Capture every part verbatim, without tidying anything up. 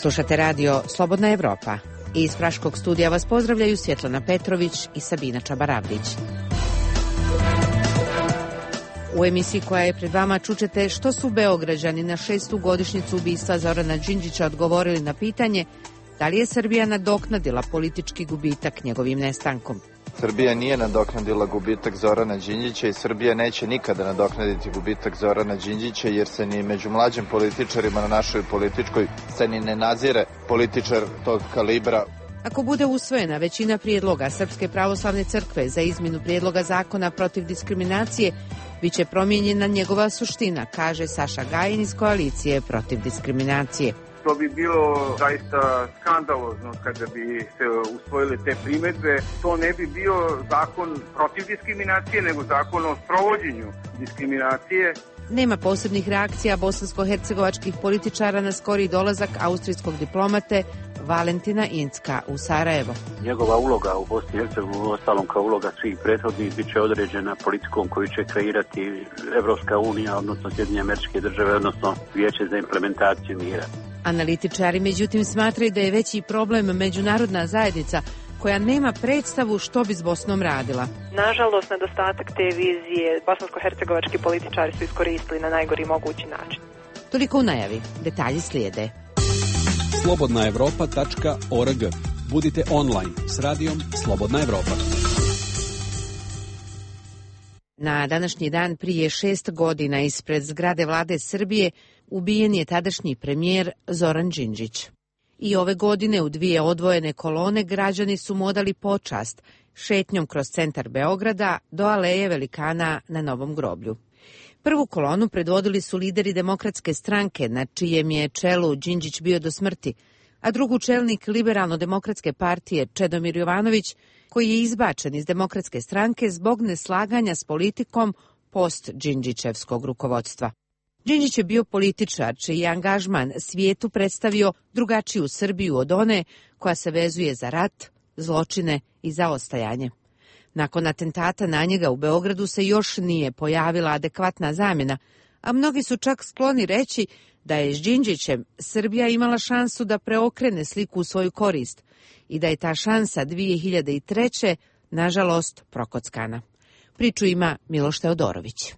Slušate radio Slobodna Evropa. Iz Praškog studija vas pozdravljaju Svjetlana Petrović i Sabina Čabaravdić. U emisiji koja je pred vama čućete što su Beograđani na šestu godišnjicu ubistva Zorana Đinđića odgovorili na pitanje da li je Srbija nadoknadila politički gubitak njegovim nestankom. Srbija nije nadoknadila gubitak Zorana Đinđića i Srbija neće nikada nadoknaditi gubitak Zorana Đinđića jer se ni među mlađim političarima na našoj političkoj sceni ne nazire političar tog kalibra. Ako bude usvojena većina prijedloga Srpske pravoslavne crkve za izmjenu prijedloga zakona protiv diskriminacije, biće promijenjena njegova suština, kaže Saša Gajin iz koalicije protiv diskriminacije. To bi bilo zaista skandalozno kada bi se usvojile te primjedbe. To ne bi bio zakon protiv diskriminacije, nego zakon o sprovođenju diskriminacije. Nema posebnih reakcija bosansko-hercegovačkih političara na skori dolazak austrijskog diplomate Valentina Incka u Sarajevo. Njegova uloga u Bosni i Hercegovini, ostalom kao uloga svih prethodnih, bit će određena politikom koju će kreirati Evropska unija, odnosno Sjedinjene Američke Države, odnosno Vijeće za implementaciju mira. Analitičari međutim smatraju da je veći problem međunarodna zajednica koja nema predstavu što bi s Bosnom radila. Nažalost, nedostatak te vizije bosansko-hercegovački političari su iskoristili na najgori mogući način. Toliko u najavi. Detalji slijede. slobodna evropa tačka org. Budite online s radijom Slobodna Evropa. Na današnji dan prije šest godina ispred zgrade vlade Srbije ubijen je tadašnji premijer Zoran Đinđić. I ove godine u dvije odvojene kolone građani su mu odali počast šetnjom kroz centar Beograda do aleje velikana na Novom groblju. Prvu kolonu predvodili su lideri Demokratske stranke, na čijem je čelu Đinđić bio do smrti, a drugu čelnik Liberalno-demokratske partije Čedomir Jovanović, koji je izbačen iz Demokratske stranke zbog neslaganja s politikom post-Đinđićevskog rukovodstva. Đinđić je bio političar čiji je angažman svijetu predstavio drugačiju Srbiju od one koja se vezuje za rat, zločine i zaostajanje. Nakon atentata na njega u Beogradu se još nije pojavila adekvatna zamjena, a mnogi su čak skloni reći da je s Đinđićem Srbija imala šansu da preokrene sliku u svoju korist i da je ta šansa dvije hiljade treće nažalost prokockana. Priču ima Miloš Teodorović.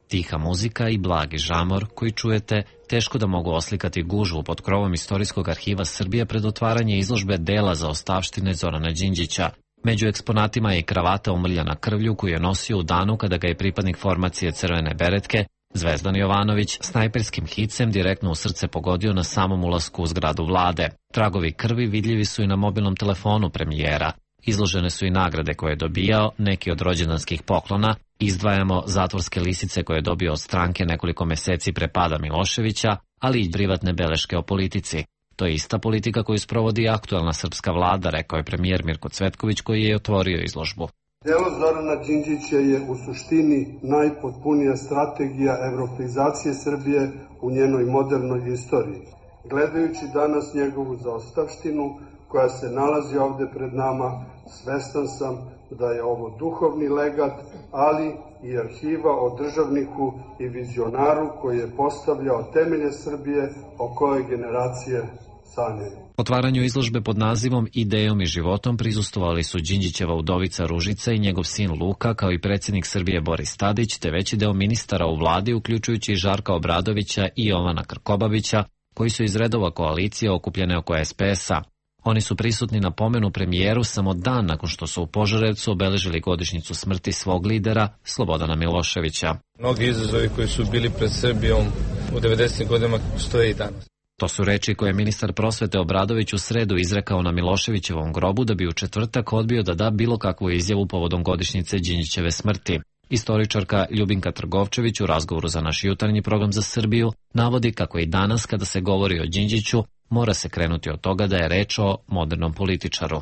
Tiha muzika i blagi žamor koji čujete teško da mogu oslikati gužvu pod krovom Istorijskog arhiva Srbije pred otvaranje izložbe dela za ostavštine Zorana Đinđića. Među eksponatima je i kravata umrljana krvlju koju je nosio u danu kada ga je pripadnik formacije Crvene beretke Zvezdan Jovanović snajperskim hicem direktno u srce pogodio na samom ulasku u zgradu vlade. Tragovi krvi vidljivi su i na mobilnom telefonu premijera. Izložene su i nagrade koje je dobijao, neki od rođendanskih poklona. Izdvajamo zatvorske lisice koje je dobio od stranke nekoliko meseci pre pada Miloševića, ali i privatne beleške o politici. To je ista politika koju sprovodi aktuelna srpska vlada, rekao je premijer Mirko Cvetković koji je otvorio izložbu. Delo Zorana Đinđića je u suštini najpotpunija strategija evropeizacije Srbije u njenoj modernoj istoriji. Gledajući danas njegovu zaostavštinu koja se nalazi ovde pred nama, svestan sam da je ovo duhovni legat, ali i arhiva o državniku i vizionaru koji je postavljao temelje Srbije o kojoj generacije sanjaju. Otvaranju izložbe pod nazivom Idejom i životom prisustvovali su Đinđićeva udovica Ružica i njegov sin Luka, kao i predsjednik Srbije Boris Tadić, te veći deo ministara u vladi, uključujući i Žarka Obradovića i Jovana Krkobabića, koji su iz redova koalicije okupljene oko es pe es a. Oni su prisutni na pomenu premijeru samo dan nakon što su u Požarevcu obeležili godišnjicu smrti svog lidera, Slobodana Miloševića. Mnogi izazovi koji su bili pred Srbijom u devedesetim godinama stoje i danas. To su reči koje je ministar prosvete Obradović u sredu izrekao na Miloševićevom grobu da bi u četvrtak odbio da da bilo kakvu izjavu povodom godišnjice Đinđićeve smrti. Istoričarka Ljubinka Trgovčević u razgovoru za naš jutarnji program za Srbiju navodi kako i danas kada se govori o Đinđiću mora se krenuti od toga da je reč o modernom političaru.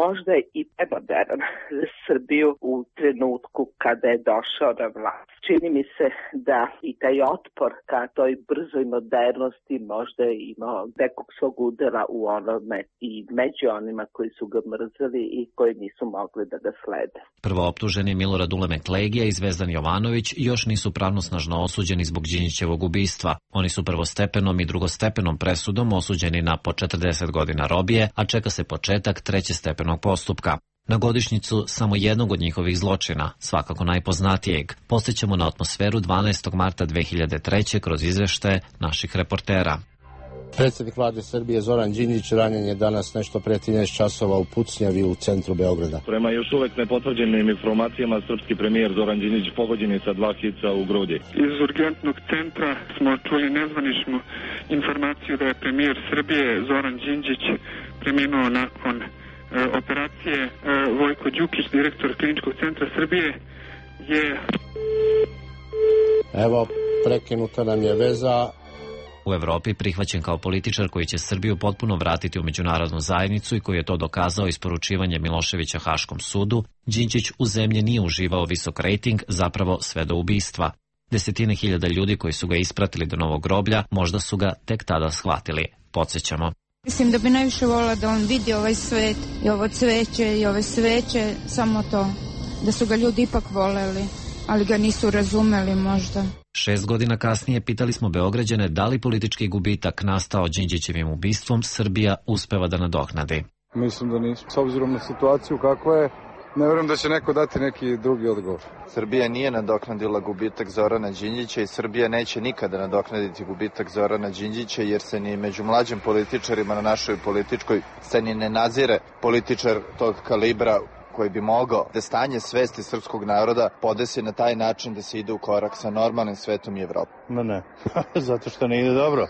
možda i premoderan za Srbiju u trenutku kada je došao na vlast. Čini mi se da i taj otpor ka toj brzoj modernosti možda je imao nekog svog udela u onome i među onima koji su ga mrzeli i koji nisu mogli da ga slede. Prvooptuženi Milorad Uleme Klegija i Zvezdan Jovanović još nisu pravnosnažno osuđeni zbog Đinđićevog ubistva. Oni su prvostepenom i drugostepenom presudom osuđeni na po četrdeset godina robije, a čeka se početak trećestepenog postupka. Na godišnjicu samo jednog od njihovih zločina, svakako najpoznatijeg, podsjećamo na atmosferu dvanaestog marta dve hiljade treće kroz izveštaje naših reportera. Predsjednik vlade Srbije Zoran Đinđić ranjen je danas nešto pre trinaest časova u Pucnjavi u centru Beograda. Prema još uvek nepotvrđenim informacijama, srpski premijer Zoran Đinđić pogođen je sa dva hica u grudi. Iz urgentnog centra smo čuli nezvaničnu informaciju da je premijer Srbije Zoran Đinđić preminuo nakon e, operacije. E, Vojko Đukić, direktor Kliničkog centra Srbije, je... Evo, prekinuta nam je veza. U Evropi prihvaćen kao političar koji će Srbiju potpuno vratiti u međunarodnu zajednicu i koji je to dokazao isporučivanjem Miloševića Haškom sudu, Đinđić u zemlji nije uživao visok rejting, zapravo sve do ubistva. Desetine hiljada ljudi koji su ga ispratili do novog groblja možda su ga tek tada shvatili. Podsjećamo. Mislim da bi najviše volila da on vidi ovaj svet i ovo cveće i ove sveće, samo to, da su ga ljudi ipak voleli, ali ga nisu razumeli možda. Šest godina kasnije pitali smo Beograđane da li politički gubitak nastao Đinđićevim ubistvom Srbija uspeva da nadoknadi. Mislim da nismo. S obzirom na situaciju kakva je, ne verujem da će neko dati neki drugi odgovor. Srbija nije nadoknadila gubitak Zorana Đinđića i Srbija neće nikada nadoknaditi gubitak Zorana Đinđića jer se ni među mlađim političarima na našoj političkoj sceni ne nazire političar tog kalibra koji bi mogao da stanje svesti srpskog naroda podesi na taj način da se ide u korak sa normalnim svetom i Evropom. Ne, ne, zato što ne ide dobro.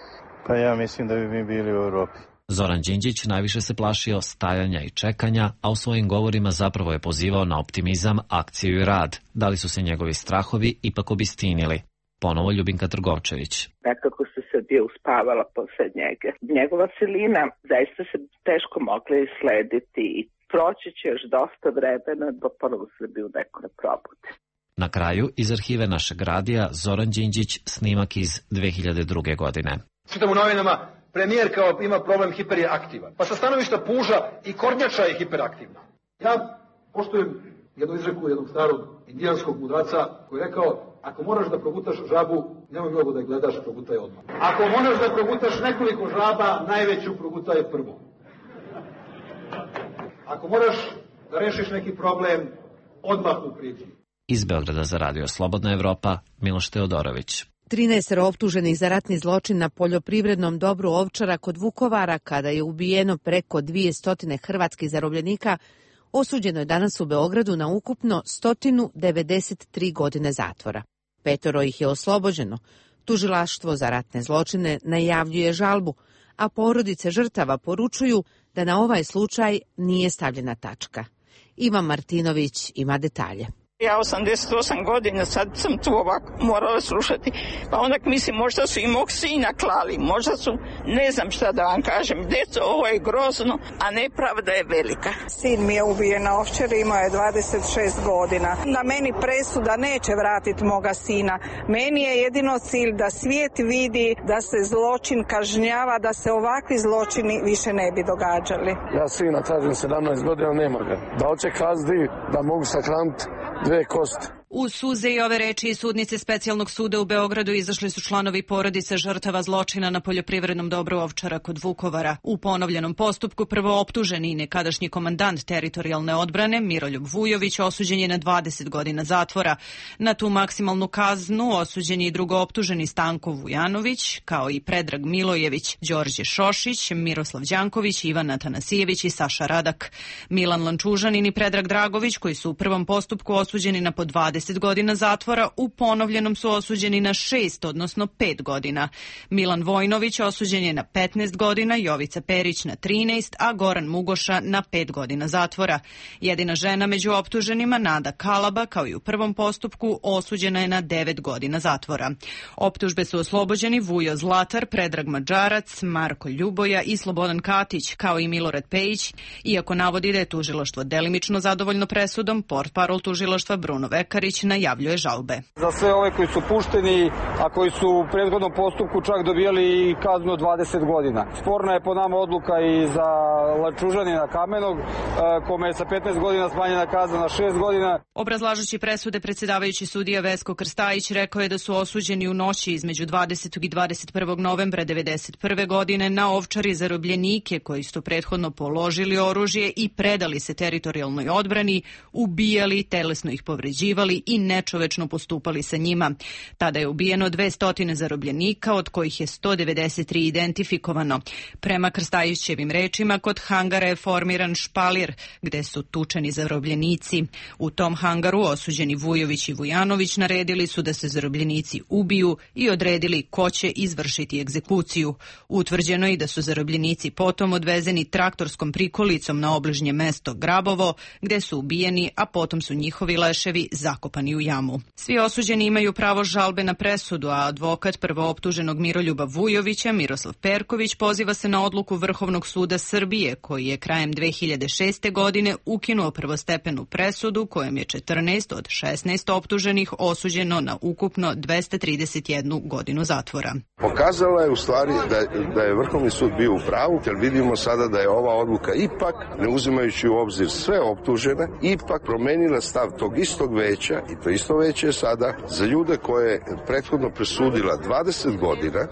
Pa ja mislim da bi mi bili u Evropi. Zoran Đinđić najviše se plašio stajanja i čekanja, a u svojim govorima zapravo je pozivao na optimizam, akciju i rad. Da li su se njegovi strahovi ipak obistinili? Ponovo Ljubinka Trgovčević. Nekako se Srbija uspavala posle njega. Njegova silina zaista se teško mogla islediti i proći će još dosta vremena do ponovo Srbiju neko ne probude. Na kraju, iz arhive našeg radija, Zoran Đinđić, snimak iz dve hiljade druge godine. Čitam u novinama, premijer kao ima problem hiperaktivan. Pa sa stanovišta puža i kornjača je hiperaktivna. Ja poštujem jednu izreku jednog starog indijanskog mudraca koji je rekao, ako moraš da progutaš žabu, nemoj mnogo da je gledaš, progutaj odmah. Ako moraš da progutaš nekoliko žaba, najveću progutaj prvo. Ako moraš da rešiš neki problem, odmah mu priđi. Iz Beograda za Radio Slobodna Evropa, Miloš Teodorović. trinaest optuženih za ratni zločin na poljoprivrednom dobru Ovčara kod Vukovara, kada je ubijeno preko dvesta hrvatskih zarobljenika, osuđeno je danas u Beogradu na ukupno sto devedeset tri godine zatvora. Petoro ih je oslobođeno. Tužilaštvo za ratne zločine najavljuje žalbu, a porodice žrtava poručuju da na ovaj slučaj nije stavljena tačka. Ivan Martinović ima detalje. Ja osamdeset osam godina, sad sam tu ovako morala slušati, pa onda mislim možda su i mog sina klali, možda su, ne znam šta da vam kažem, djeco, ovo je grozno, a nepravda je velika. Sin mi je ubijen na Ovčari, imao je dvadeset šest godina. Na meni presuda neće vratiti moga sina. Meni je jedino cilj da svijet vidi da se zločin kažnjava, da se ovakvi zločini više ne bi događali. Ja sina tražim sedamnaest godina, nema ga. Da hoće kazni, da mogu sahraniti dve kosti. U suze i ove reči iz sudnice Specijalnog suda u Beogradu izašli su članovi porodice žrtava zločina na poljoprivrednom dobru Ovčara kod Vukovara. U ponovljenom postupku prvo optuženi i nekadašnji komandant teritorijalne odbrane Miroljub Vujović osuđen je na dvadeset godina zatvora. Na tu maksimalnu kaznu osuđen je i drugo optuženi Stanko Vujanović, kao i Predrag Milojević, Đorđe Šošić, Miroslav Đanković, Ivan Atanasijević i Saša Radak. Milan Lančužanin i Predrag Dragović, koji su u prvom postupku osuđeni na po dvadeset dvadeset godina zatvora, u ponovljenom su osuđeni na šest, odnosno pet godina. Milan Vojnović osuđen je na petnaest godina, Jovica Perić na trinaest, a Goran Mugoša na pet godina zatvora. Jedina žena među optuženima, Nada Kalaba, kao i u prvom postupku, osuđena je na devet godina zatvora. Optužbe su oslobođeni Vujo Zlatar, Predrag Mađarac, Marko Ljuboja i Slobodan Katić, kao i Milorad Pejić, iako navodi da je tužilaštvo delimično zadovoljno presudom, portparol tužilaštva Bruno Vekarić najavljuje žalbe. Za sve ove koji su pušteni, a koji su u prethodnom postupku čak dobijali kaznu od dvadeset godina. Sporna je po nama odluka i za Lančužanina Kamenog, kome je sa petnaest godina smanjena kazna na šest godina. Obrazlažući presude, predsjedavajući sudija Vesko Krstajić rekao je da su osuđeni u noći između dvadesetog i dvadeset prvog novembra devedeset prve godine na Ovčari zarobljenike koji su prethodno položili oružje i predali se teritorijalnoj odbrani, ubijali, telesno ih povređivali i nečovečno postupali sa njima. Tada je ubijeno dvesta zarobljenika, od kojih je sto devedeset tri identifikovano. Prema Krstajićevim rečima, kod hangara je formiran špalir gde su tučeni zarobljenici. U tom hangaru osuđeni Vujović i Vujanović naredili su da se zarobljenici ubiju i odredili ko će izvršiti egzekuciju. Utvrđeno je da su zarobljenici potom odvezeni traktorskom prikolicom na obližnje mesto Grabovo, gde su ubijeni, a potom su njihovi leševi zakopani u jamu. Svi osuđeni imaju pravo žalbe na presudu, a advokat prvooptuženog Miroljuba Vujovića, Miroslav Perković, poziva se na odluku Vrhovnog suda Srbije, koji je krajem dve hiljade šeste. godine ukinuo prvostepenu presudu kojom je četrnaest od šesnaest optuženih osuđeno na ukupno dvesta trideset jednu godinu zatvora. Pokazala je u stvari da, da je Vrhovni sud bio u pravu, jer vidimo sada da je ova odluka ipak, ne uzimajući u obzir sve optužene, ipak promenila stav tog istog veća, i to isto veće je sada za ljude koje je prethodno presudila dvadeset godina,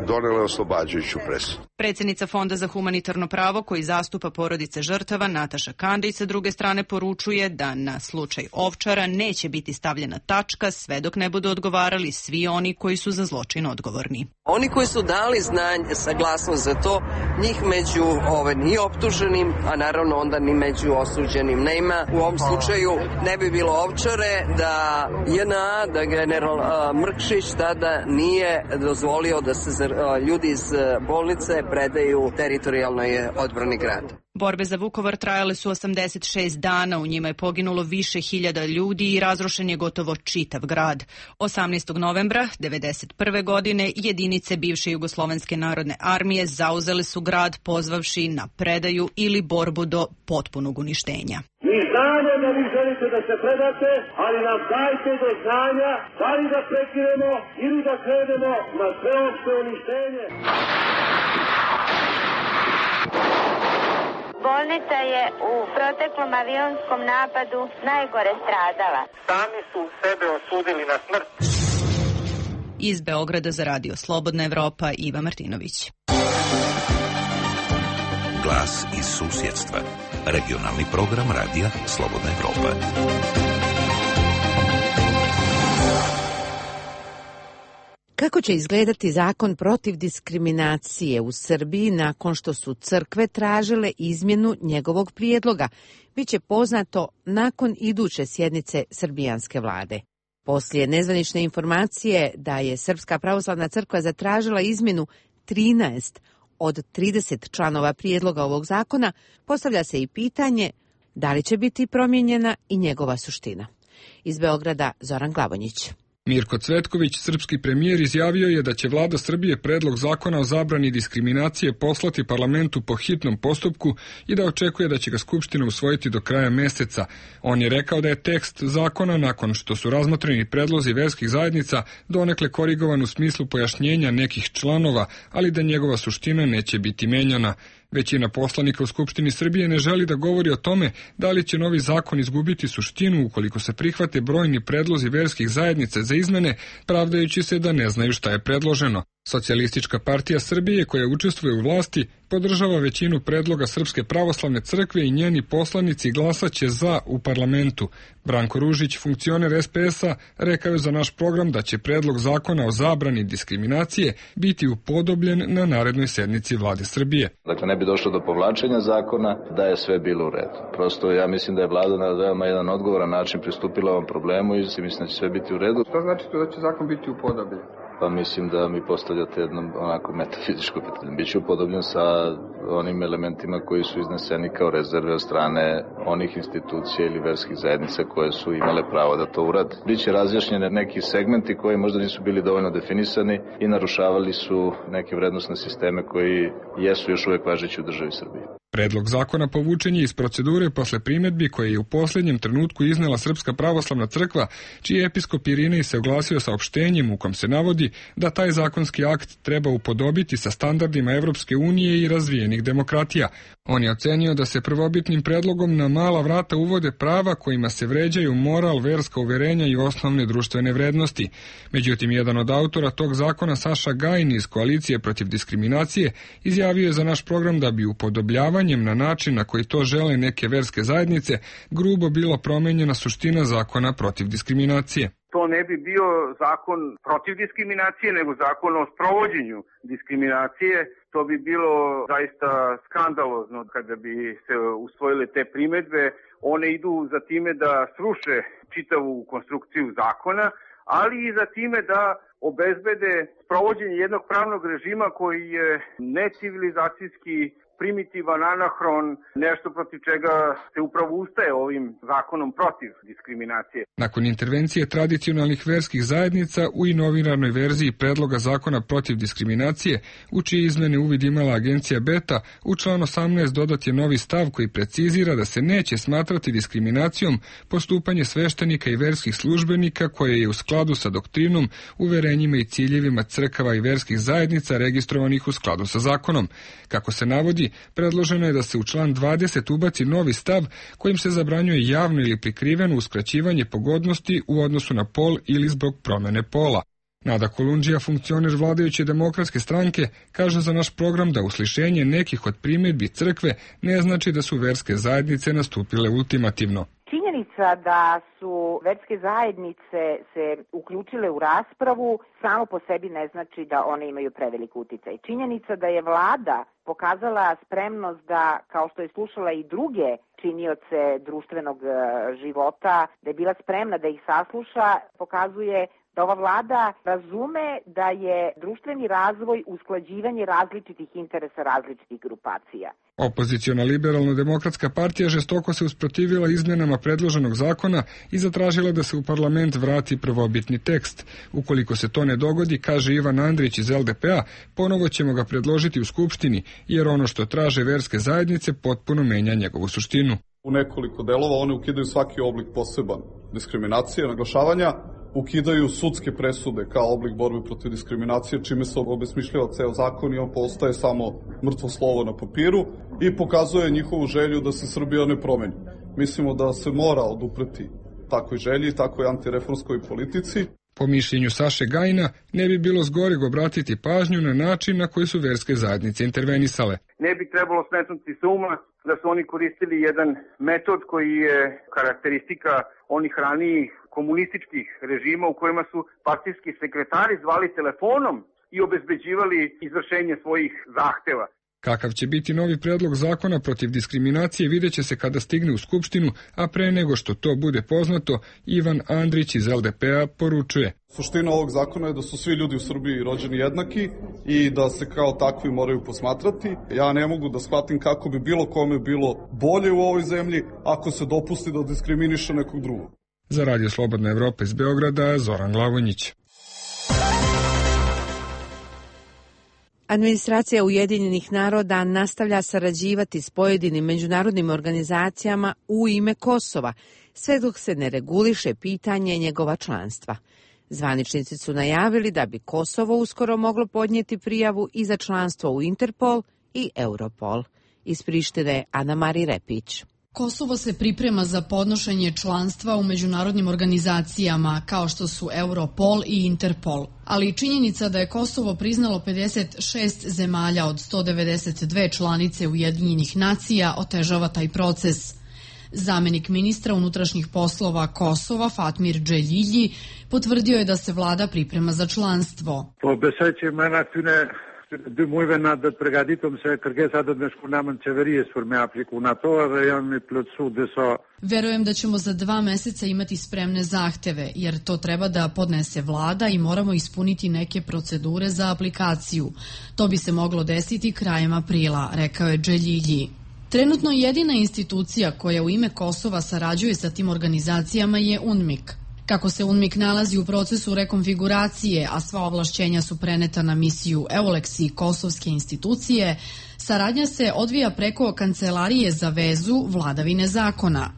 donela oslobađajuću presudu. Predsjednica Fonda za humanitarno pravo, koji zastupa porodice žrtava, Nataša Kandić, sa druge strane poručuje da na slučaj Ovčara neće biti stavljena tačka sve dok ne budu odgovarali svi oni koji su za zločin odgovorni. Oni koji su dali znanje, saglasnost za to, njih među ove, ni optuženim, a naravno onda ni među osuđenim nema. U ovom slučaju ne bi bilo Ovčare da J N A, da general a, Mrkšić tada nije dozvolio da se a, ljudi iz bolnice predaju teritorijalnoj odbrani grada. Borbe za Vukovar trajale su osamdeset šest dana, u njima je poginulo više hiljada ljudi i razrušen je gotovo čitav grad. osamnaestog novembra devedeset prve. godine jedinice bivše Jugoslovenske narodne armije zauzele su grad pozvavši na predaju ili borbu do potpunog uništenja. Mi znamo da vi želite da se predate, ali nam dajte do znanja da li da prekinemo ili da krenemo na sveopšte uništenje. Bolnica je u proteklom avionskom napadu najgore stradala. Sami su sebe osudili na smrt. Iz Beograda za radio Slobodna Evropa, Iva Martinović. Glas iz susjedstva. Regionalni program radija Slobodna Evropa. Kako će izgledati zakon protiv diskriminacije u Srbiji nakon što su crkve tražile izmjenu njegovog prijedloga, biće poznato nakon iduće sjednice srbijanske vlade. Poslije nezvanične informacije da je Srpska pravoslavna crkva zatražila izmjenu trinaest od trideset članova prijedloga ovog zakona, postavlja se i pitanje da li će biti promijenjena i njegova suština. Iz Beograda Zoran Glavonjić. Mirko Cvetković, srpski premijer, izjavio je da će vlada Srbije predlog zakona o zabrani diskriminacije poslati parlamentu po hitnom postupku i da očekuje da će ga Skupština usvojiti do kraja meseca. On je rekao da je tekst zakona, nakon što su razmotreni predlozi verskih zajednica, donekle korigovan u smislu pojašnjenja nekih članova, ali da njegova suština neće biti menjana. Većina poslanika u Skupštini Srbije ne želi da govori o tome da li će novi zakon izgubiti suštinu ukoliko se prihvate brojni predlozi verskih zajednica za izmene, pravdajući se da ne znaju šta je predloženo. Socijalistička partija Srbije, koja učestvuje u vlasti, podržava većinu predloga Srpske pravoslavne crkve i njeni poslanici glasaće za u parlamentu. Branko Ružić, funkcioner es pe es a, rekao je za naš program da će predlog zakona o zabrani diskriminacije biti upodobljen na narednoj sednici Vlade Srbije. Dakle, ne bi došlo do povlačenja zakona da je sve bilo u redu. Prosto ja mislim da je Vlada na veoma jedan odgovoran način pristupila ovom problemu i mislim da će sve biti u redu. Šta znači to da će zakon biti upodobljen? Pa mislim da mi postavljate jedno onako metafizičko pitanje. Biće upodobljen sa onim elementima koji su izneseni kao rezerve od strane onih institucija ili verskih zajednica koje su imale pravo da to urade. Biće razjašnjene neki segmenti koji možda nisu bili dovoljno definisani i narušavali su neke vrednosne sisteme koji jesu još uvek važeći u državi Srbije. Predlog zakona povučen je iz procedure posle primedbi koje je u posljednjem trenutku iznela Srpska pravoslavna crkva, čiji episkop Irinej se oglasio saopštenjem u kom se navodi da taj zakonski akt treba upodobiti sa standardima Evropske unije i razvijenih demokratija. On je ocenio da se prvobitnim predlogom na mala vrata uvode prava kojima se vređaju moral, verska uverenja i osnovne društvene vrednosti. Međutim, jedan od autora tog zakona, Saša Gajin iz Koalicije protiv diskriminacije, izjavio je za naš program da bi upodobljavanjem na način na koji to žele neke verske zajednice grubo bila promenjena suština zakona protiv diskriminacije. To ne bi bio zakon protiv diskriminacije, nego zakon o sprovođenju diskriminacije. To bi bilo zaista skandalozno kada bi se usvojile te primedbe. One idu za time da sruše čitavu konstrukciju zakona, ali i za time da obezbede sprovođenje jednog pravnog režima koji je necivilizacijski, primitivan, anahron, nešto protiv čega se upravo ustaje ovim zakonom protiv diskriminacije. Nakon intervencije tradicionalnih verskih zajednica u inovinarnoj verziji predloga zakona protiv diskriminacije, u čije izmene uvid imala agencija Beta, u član osamnaest dodat je novi stav koji precizira da se neće smatrati diskriminacijom postupanje sveštenika i verskih službenika koje je u skladu sa doktrinom, uverenjima i ciljevima crkava i verskih zajednica registrovanih u skladu sa zakonom. Kako se navodi, predloženo je da se u član dvadeset ubaci novi stav kojim se zabranjuje javno ili prikriveno uskraćivanje pogodnosti u odnosu na pol ili zbog promene pola. Nada Kolundžija, funkcioner vladajuće demokratske stranke, kaže za naš program da uslišenje nekih od primjedbi crkve ne znači da su verske zajednice nastupile ultimativno. Činjenica da su verske zajednice se uključile u raspravu samo po sebi ne znači da one imaju prevelik uticaj. Činjenica da je vlada pokazala spremnost da, kao što je slušala i druge činioce društvenog života, da je bila spremna da ih sasluša, pokazuje da ova vlada razume da je društveni razvoj usklađivanje različitih interesa različitih grupacija. Opoziciona liberalno-demokratska partija žestoko se usprotivila izmenama predloženog zakona i zatražila da se u parlament vrati prvobitni tekst. Ukoliko se to ne dogodi, kaže Ivan Andrić iz el de pe a, ponovo ćemo ga predložiti u Skupštini, jer ono što traže verske zajednice potpuno menja njegovu suštinu. U nekoliko delova one ukidaju svaki oblik poseban diskriminacije, naglašavanja, ukidaju sudske presude kao oblik borbe protiv diskriminacije, čime se obesmišljava ceo zakon i on postaje samo mrtvo slovo na papiru i pokazuje njihovu želju da se Srbija ne promeni. Mislimo da se mora odupreti takvoj želji, takvoj antireformskoj politici. Po mišljenju Saše Gajina, ne bi bilo zgoreg obratiti pažnju na način na koji su verske zajednice intervenisale. Ne bi trebalo smetnuti s uma da su oni koristili jedan metod koji je karakteristika onih ranijih komunističkih režima u kojima su partijski sekretari zvali telefonom i obezbeđivali izvršenje svojih zahteva. Kakav će biti novi predlog zakona protiv diskriminacije vidjet će se kada stigne u Skupštinu, a pre nego što to bude poznato, Ivan Andrić iz el de pe a poručuje. Suština ovog zakona je da su svi ljudi u Srbiji rođeni jednaki i da se kao takvi moraju posmatrati. Ja ne mogu da shvatim kako bi bilo kome bilo bolje u ovoj zemlji ako se dopusti da diskriminiše nekog drugog. Za Radio Slobodna Evropa iz Beograda, Zoran Glavonjić. Administracija Ujedinjenih naroda nastavlja sarađivati s pojedinim međunarodnim organizacijama u ime Kosova, sve dok se ne reguliše pitanje njegova članstva. Zvaničnici su najavili da bi Kosovo uskoro moglo podnijeti prijavu i za članstvo u Interpol i Europol. Iz Prištine Ana Mari Repić. Kosovo se priprema za podnošenje članstva u međunarodnim organizacijama kao što su Europol i Interpol, ali i činjenica da je Kosovo priznalo pedeset šest zemalja od sto devedeset dve članice Ujedinjenih nacija otežava taj proces. Zamenik ministra unutrašnjih poslova Kosova Fatmir Dželilji potvrdio je da se vlada priprema za članstvo. dy muajve na do të përgatitëm se kërkesat do të më shkunamën qeverisë për me apliku në to dhe janë mi plotësu disa. Verujem da ćemo za dva meseca imati spremne zahteve, jer to treba da podnese vlada i moramo ispuniti neke procedure za aplikaciju. To bi se moglo desiti krajem aprila, rekao je Dželilji. Trenutno jedina institucija koja u ime Kosova sarađuje sa tim organizacijama je UNMIK. Kako se UNMIK nalazi u procesu rekonfiguracije, a sva ovlašćenja su preneta na misiju EULEX i kosovske institucije, saradnja se odvija preko Kancelarije za vezu vladavine zakona.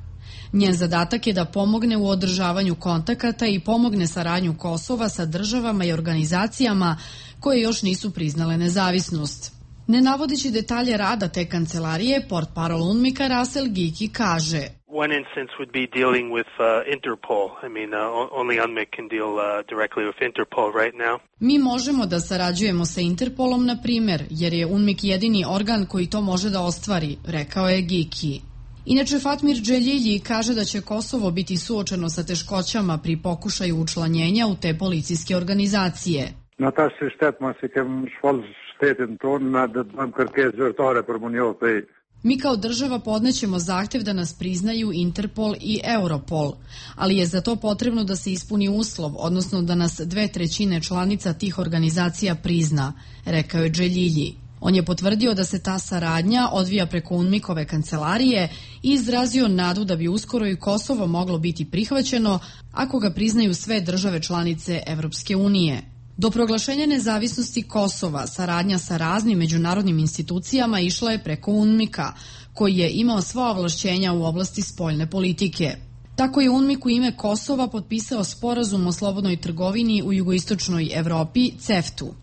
Njen zadatak je da pomogne u održavanju kontakata i pomogne saradnju Kosova sa državama i organizacijama koje još nisu priznale nezavisnost. Ne navodeći detalje rada te kancelarije, portparol UNMIK-a Rasel Giki kaže: One instance would be dealing with uh, Interpol. I mean, uh, only UNMIK can deal uh, directly with Interpol right now. Mi možemo da sarađujemo sa Interpolom, na primjer, jer je UNMIK jedini organ koji to može da ostvari, rekao je Giki. Inače, Fatmir Dželilji kaže da će Kosovo biti suočeno sa teškoćama pri pokušaju učlanjenja u te policijske organizacije. Na ta se shtetma se kem shfall shtetin ton na da dëm kërkesë zyrtare për më njohë. Mi kao država podnećemo zahtev da nas priznaju Interpol i Europol, ali je za to potrebno da se ispuni uslov, odnosno da nas dve trećine članica tih organizacija prizna, rekao je Dželilji. On je potvrdio da se ta saradnja odvija preko UNMIK-ove kancelarije i izrazio nadu da bi uskoro i Kosovo moglo biti prihvaćeno ako ga priznaju sve države članice Evropske unije. Do proglašenja nezavisnosti Kosova saradnja sa raznim međunarodnim institucijama išla je preko UNMIK-a, koji je imao sva ovlašćenja u oblasti spoljne politike. Tako je UNMIK u ime Kosova potpisao sporazum o slobodnoj trgovini u jugoistočnoj Evropi, CEFTU.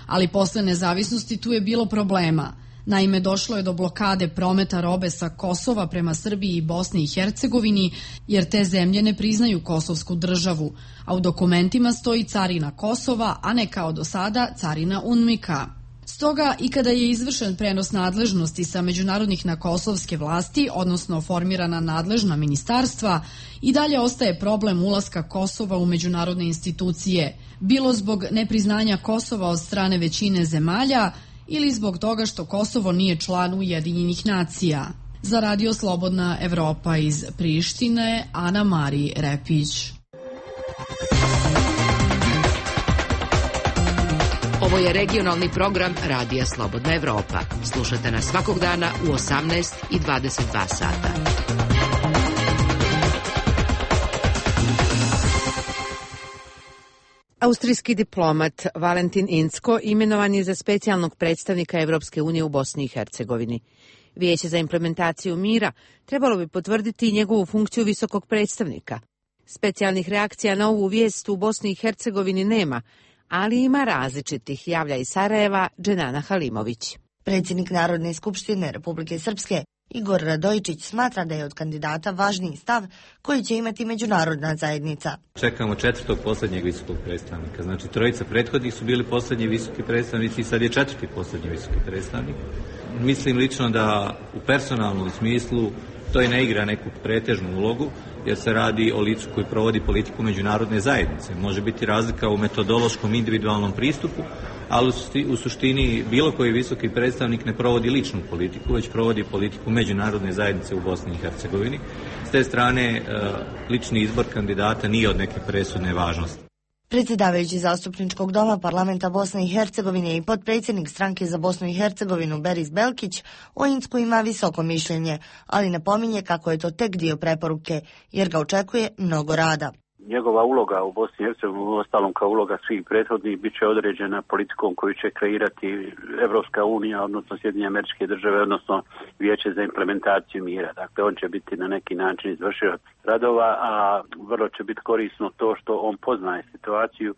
Ali posle nezavisnosti tu je bilo problema. Naime, došlo je do blokade prometa robe sa Kosova prema Srbiji i Bosni i Hercegovini, jer te zemlje ne priznaju kosovsku državu, a u dokumentima stoji carina Kosova, a ne kao do sada carina UNMIK-a. Stoga, i kada je izvršen prenos nadležnosti sa međunarodnih na kosovske vlasti, odnosno formirana nadležna ministarstva, i dalje ostaje problem ulaska Kosova u međunarodne institucije, bilo zbog nepriznanja Kosova od strane većine zemalja, ili zbog toga što Kosovo nije član Ujedinjenih nacija. Za Radio Slobodna Evropa iz Prištine, Ana Mari Repić. Ovo je regionalni program Radija Slobodna Evropa. Slušajte nas svakog dana u osamnaest i dvadeset dva sata. Austrijski diplomat Valentin Incko imenovan je za specijalnog predstavnika Evropske unije u Bosni i Hercegovini. Vijeće za implementaciju mira trebalo bi potvrditi njegovu funkciju visokog predstavnika. Specijalnih reakcija na ovu vijest u Bosni i Hercegovini nema, ali ima različitih, javlja iz Sarajeva Dženana Halimović. Predsjednik Narodne skupštine Republike Srpske Igor Radojičić smatra da je od kandidata važniji stav koji će imati međunarodna zajednica. Čekamo četvrtog posljednjeg visokog predstavnika. Znači, trojica prethodnih su bili posljednji visoki predstavnici i sad je četvrti posljednji visoki predstavnik. Mislim lično da u personalnom smislu to i ne igra neku pretežnu ulogu, jer se radi o licu koji provodi politiku međunarodne zajednice. Može biti razlika u metodološkom individualnom pristupu, ali u suštini bilo koji visoki predstavnik ne provodi ličnu politiku, već provodi politiku međunarodne zajednice u Bosni i Hercegovini. S te strane, lični izbor kandidata nije od neke presudne važnosti. Predsjedavajući zastupničkog doma parlamenta Bosne i Hercegovine i potpredsjednik stranke za Bosnu i Hercegovinu Beris Belkić o Incku ima visoko mišljenje, ali napominje kako je to tek dio preporuke, jer ga očekuje mnogo rada. Njegova uloga u Bosni i Hercegovini, ostalom kao uloga svih prethodnih, bit će određena politikom koju će kreirati Evropska unija, odnosno Sjedinjene Američke Države, odnosno Vijeće za implementaciju mira. Dakle, on će biti na neki način izvršilac radova, a vrlo će biti korisno to što on poznaje situaciju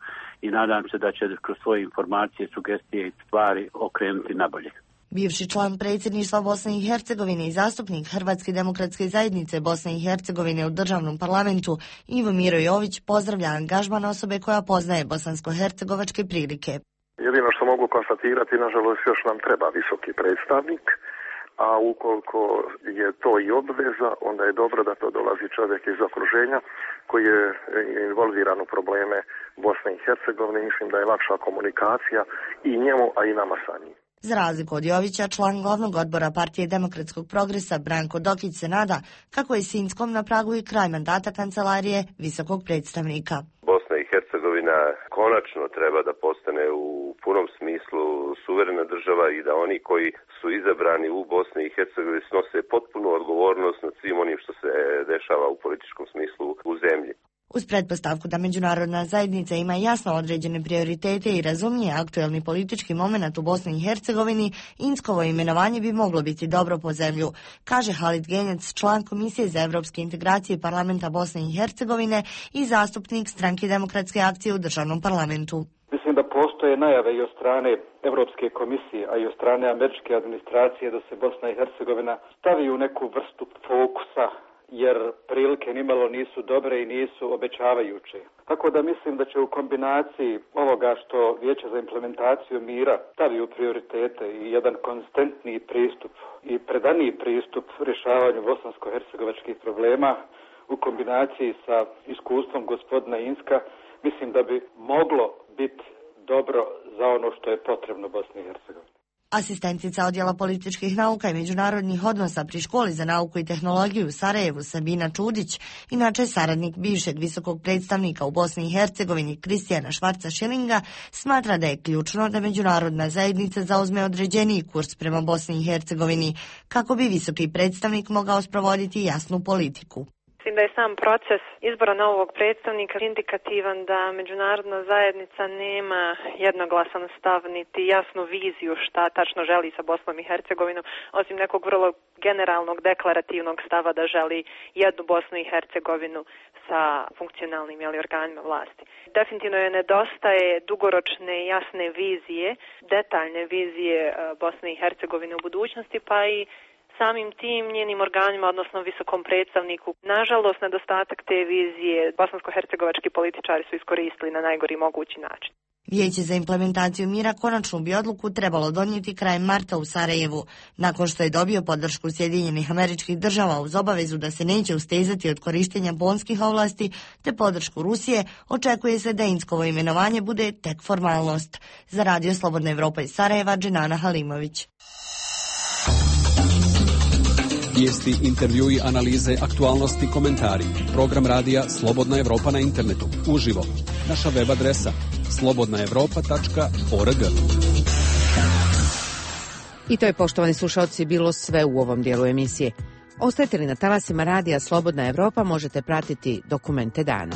i nadam se da će kroz svoje informacije, sugestije i stvari okrenuti nabolje. Bivši član predsjedništva Bosne i Hercegovine i zastupnik Hrvatske demokratske zajednice Bosne i Hercegovine u državnom parlamentu Ivo Miro Jović pozdravlja angažman osobe koja poznaje bosansko-hercegovačke prilike. Jedino što mogu konstatirati, nažalost, još nam treba visoki predstavnik, a ukoliko je to i obveza, onda je dobro da to dolazi čovjek iz okruženja koji je involviran u probleme Bosne i Hercegovine. Mislim da je lakša komunikacija i njemu, a i nama sa njim. Za razliku od Jovića, član glavnog odbora Partije demokratskog progresa Branko Dokić se nada kako je Sinjskom na pragu i kraj mandata kancelarije visokog predstavnika. Bosna i Hercegovina konačno treba da postane u punom smislu suverena država i da oni koji su izabrani u Bosni i Hercegovini snose potpunu odgovornost nad svim onim što se dešava u političkom smislu u zemlji. Uz pretpostavku da međunarodna zajednica ima jasno određene prioritete i razumije aktuelni politički moment u Bosni i Hercegovini, Inckovo imenovanje bi moglo biti dobro po zemlju, kaže Halid Genjac, član Komisije za evropske integracije Parlamenta Bosne i Hercegovine i zastupnik Stranke demokratske akcije u državnom parlamentu. Mislim da postoje najave i od strane Evropske komisije, a i od strane američke administracije da se Bosna i Hercegovina stavi u neku vrstu fokusa, jer prilike nimalo nisu dobre i nisu obećavajuće. Tako da mislim da će u kombinaciji ovoga što Vijeće za implementaciju mira stavi u prioritete i jedan konstantni pristup i predaniji pristup rješavanju bosansko-hercegovačkih problema u kombinaciji sa iskustvom gospodina Inska, mislim da bi moglo biti dobro za ono što je potrebno Bosni i Hercegovini. Asistentica odjela političkih nauka i međunarodnih odnosa pri Školi za nauku i tehnologiju u Sarajevu Sabina Čudić, inače saradnik bivšeg visokog predstavnika u Bosni i Hercegovini Kristijana Švarca Šilinga, smatra da je ključno da međunarodna zajednica zauzme određeniji kurs prema Bosni i Hercegovini, kako bi visoki predstavnik mogao sprovoditi jasnu politiku. Mislim da je sam proces izbora novog predstavnika indikativan da međunarodna zajednica nema jednoglasan stav niti jasnu viziju šta tačno želi sa Bosnom i Hercegovinom, osim nekog vrlo generalnog deklarativnog stava da želi jednu Bosnu i Hercegovinu sa funkcionalnim jeli, organima vlasti. Definitivno je nedostaje dugoročne jasne vizije, detaljne vizije Bosne i Hercegovine u budućnosti, pa i samim tim njenim organima, odnosno visokom predstavniku. Nažalost, nedostatak te vizije bosansko-hercegovački političari su iskoristili na najgori mogući način. Vijeće za implementaciju mira konačnu bi odluku trebalo donijeti krajem marta u Sarajevu, nakon što je dobio podršku Sjedinjenih Američkih Država uz obavezu da se neće ustezati od korištenja bonskih ovlasti te podršku Rusije. Očekuje se da Inckovo imenovanje bude tek formalnost. Za Radio Slobodna Evropa iz Sarajeva, Dženana Halimović. Vijesti, intervjui, analize, aktualnosti, komentari. Program radija Slobodna Evropa na internetu. Uživo. Naša web adresa slobodna evropa tačka org. I to je, poštovani slušalci, bilo sve u ovom dijelu emisije. Ostajete li na talasima radija Slobodna Evropa, možete pratiti dokumente dana.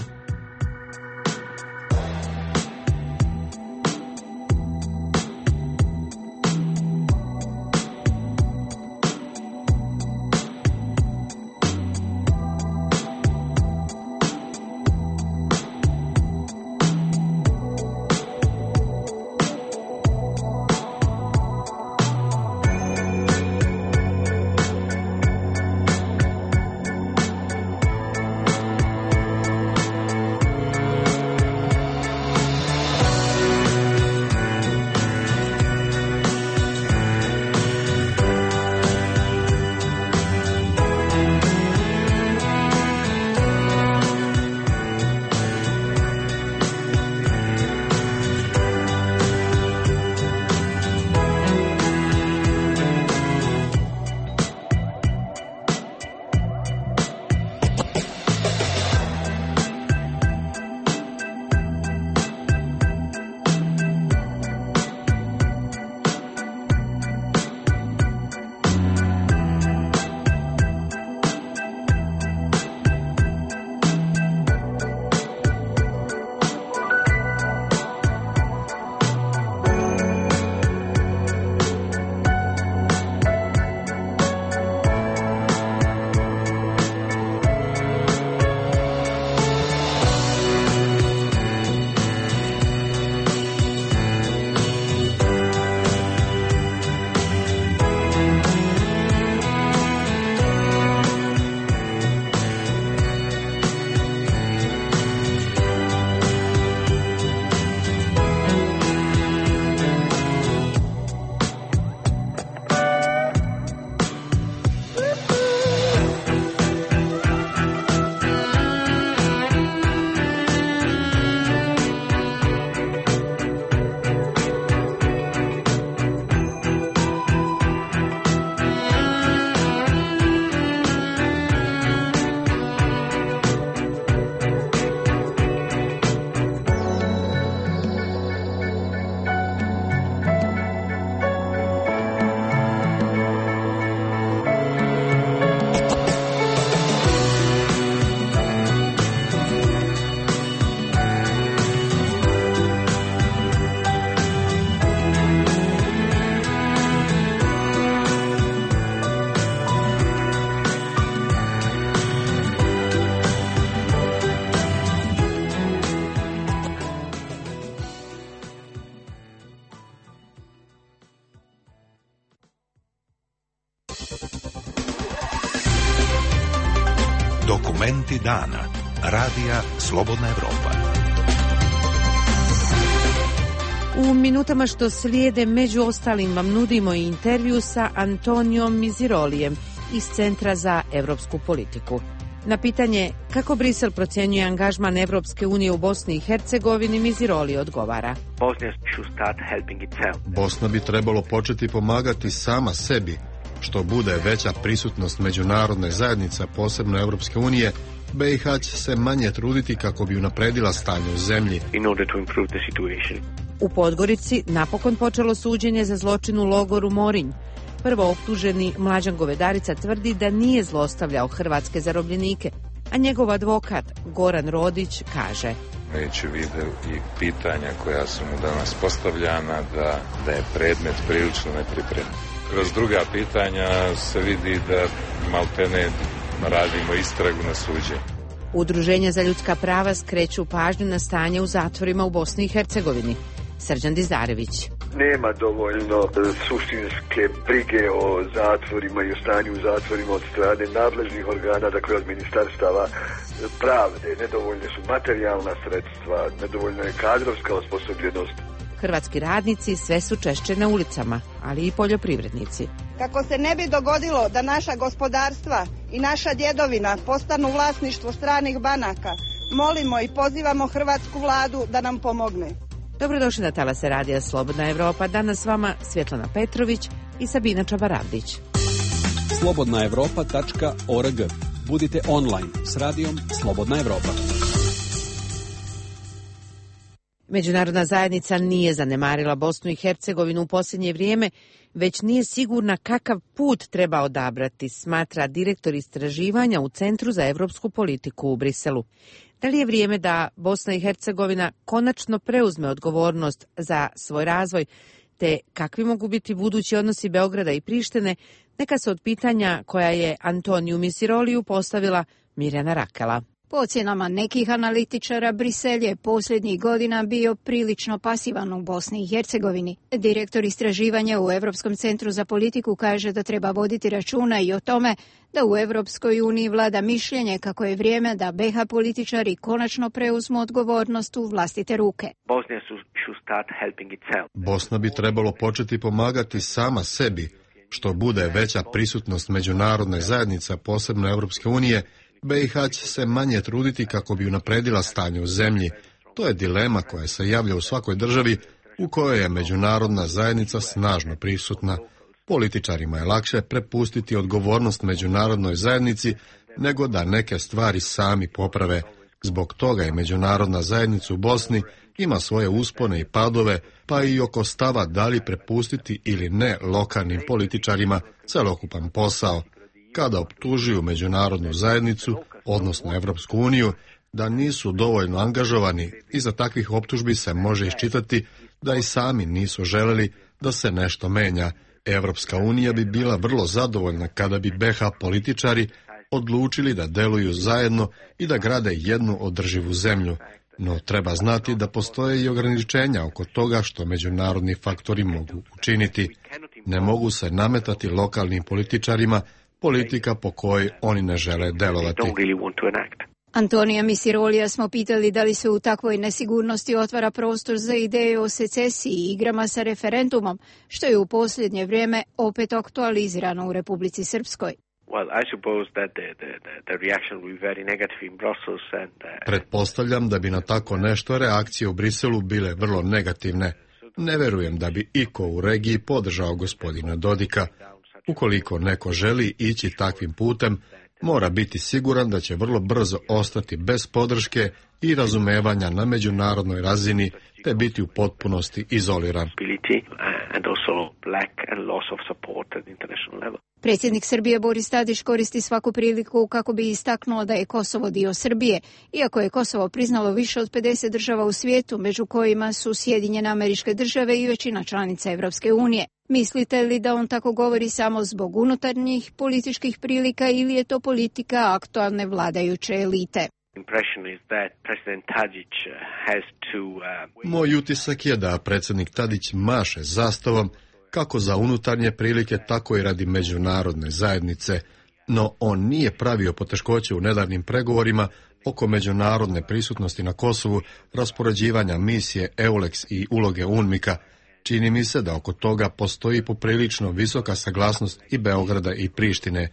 Momenti dana. Radija Slobodna Evropa. U minutama što slijede, među ostalim, vam nudimo i intervju sa Antonijom Mizirolijem iz Centra za evropsku politiku. Na pitanje kako Brisel procjenjuje angažman Evropske unije u Bosni i Hercegovini, Miziroli odgovara. Bosna bi trebalo početi pomagati sama sebi. Što bude veća prisutnost međunarodne zajednice, posebno Evropske unije, B i H će se manje truditi kako bi unapredila stanje u zemlji. U Podgorici napokon počelo suđenje za zločin u logoru Morinj. Prvo optuženi Mlađan Govedarica tvrdi da nije zlostavljao hrvatske zarobljenike, a njegov advokat Goran Rodić kaže: Imajući u vidu i pitanja koja su mu danas postavljana, da, da je predmet prilično nepripremljen. Kroz druga pitanja se vidi da maltene radimo istragu na suđenju. Udruženja za ljudska prava skreću pažnju na stanje u zatvorima u Bosni i Hercegovini. Srđan Dizarević. Nema dovoljno suštinske brige o zatvorima i o stanju u zatvorima od strane nadležnih organa, dakle od ministarstava pravde. Nedovoljne su materijalna sredstva, nedovoljna je kadrovska osposobljenost. Hrvatski radnici sve su češće na ulicama, ali i poljoprivrednici. Kako se ne bi dogodilo da naša gospodarstva i naša djedovina postanu vlasništvo stranih banaka, molimo i pozivamo hrvatsku vladu da nam pomogne. Dobrodošli na talase Radija Slobodna Evropa. Danas s vama Svjetlana Petrović i Sabina Čabaravdić. slobodna evropa tačka org. Budite online s radijom Slobodna Evropa. Međunarodna zajednica nije zanemarila Bosnu i Hercegovinu u posljednje vrijeme, već nije sigurna kakav put treba odabrati, smatra direktor istraživanja u Centru za evropsku politiku u Briselu. Da li je vrijeme da Bosna i Hercegovina konačno preuzme odgovornost za svoj razvoj, te kakvi mogu biti budući odnosi Beograda i Prištine, neka se od pitanja koja je Antoniju Miziroliju postavila Mirjana Rakela. Po ocjenama nekih analitičara, Brisel je posljednjih godina bio prilično pasivan u Bosni i Hercegovini. Direktor istraživanja u Europskom centru za politiku kaže da treba voditi računa i o tome da u Europskoj uniji vlada mišljenje kako je vrijeme da B H političari konačno preuzmu odgovornost u vlastite ruke. Bosna bi trebalo početi pomagati sama sebi. Što bude veća prisutnost međunarodne zajednice, posebno Evropske unije, B i H će se manje truditi kako bi unapredila stanje u zemlji. To je dilema koja se javlja u svakoj državi u kojoj je međunarodna zajednica snažno prisutna. Političarima je lakše prepustiti odgovornost međunarodnoj zajednici nego da neke stvari sami poprave. Zbog toga je međunarodna zajednica u Bosni ima svoje uspone i padove, pa i oko stava da li prepustiti ili ne lokalnim političarima celokupan posao. Kada optužuju međunarodnu zajednicu, odnosno Evropsku uniju, da nisu dovoljno angažovani, iza takvih optužbi se može iščitati da i sami nisu želeli da se nešto menja. Evropska unija bi bila vrlo zadovoljna kada bi B H političari odlučili da deluju zajedno i da grade jednu održivu zemlju. No treba znati da postoje i ograničenja oko toga što međunarodni faktori mogu učiniti. Ne mogu se nametati lokalnim političarima politika po kojoj oni ne žele delovati. Antonija Mizirolija smo pitali da li se u takvoj nesigurnosti otvara prostor za ideje o secesiji i igrama sa referendumom, što je u posljednje vrijeme opet aktualizirano u Republici Srpskoj. Pretpostavljam da bi na tako nešto reakcije u Briselu bile vrlo negativne. Ne verujem da bi iko u regiji podržao gospodina Dodika. Ukoliko neko želi ići takvim putem, mora biti siguran da će vrlo brzo ostati bez podrške i razumevanja na međunarodnoj razini, te biti u potpunosti izoliran. Predsjednik Srbije Boris Tadić koristi svaku priliku kako bi istaknuo da je Kosovo dio Srbije, iako je Kosovo priznalo više od pedeset država u svijetu, među kojima su Sjedinjene Američke Države i većina članica Evropske unije. Mislite li da on tako govori samo zbog unutarnjih političkih prilika ili je to politika aktualne vladajuće elite? Moj utisak je da predsjednik Tadić maše zastavom kako za unutarnje prilike, tako i radi međunarodne zajednice. no on nije pravio poteškoće u nedavnim pregovorima oko međunarodne prisutnosti na Kosovu, raspoređivanja misije EULEX i uloge UNMIK-a. Čini mi se da oko toga postoji poprilično visoka saglasnost i Beograda i Prištine.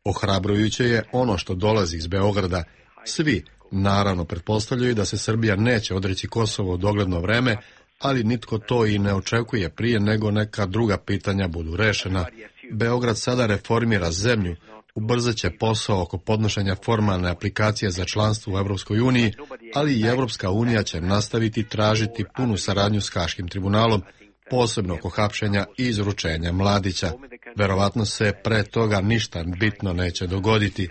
Ohrabrujuće je ono što dolazi iz Beograda. Svi, naravno, pretpostavljaju da se Srbija neće odreći Kosovo u dogledno vreme, ali nitko to i ne očekuje prije nego neka druga pitanja budu rešena. Beograd sada reformira zemlju, ubrzat će posao oko podnošenja formalne aplikacije za članstvo u Evropskoj uniji, ali i Evropska unija će nastaviti tražiti punu saradnju s Haškim tribunalom, posebno oko hapšenja i izručenja Mladića. Verovatno se pre toga ništa bitno neće dogoditi.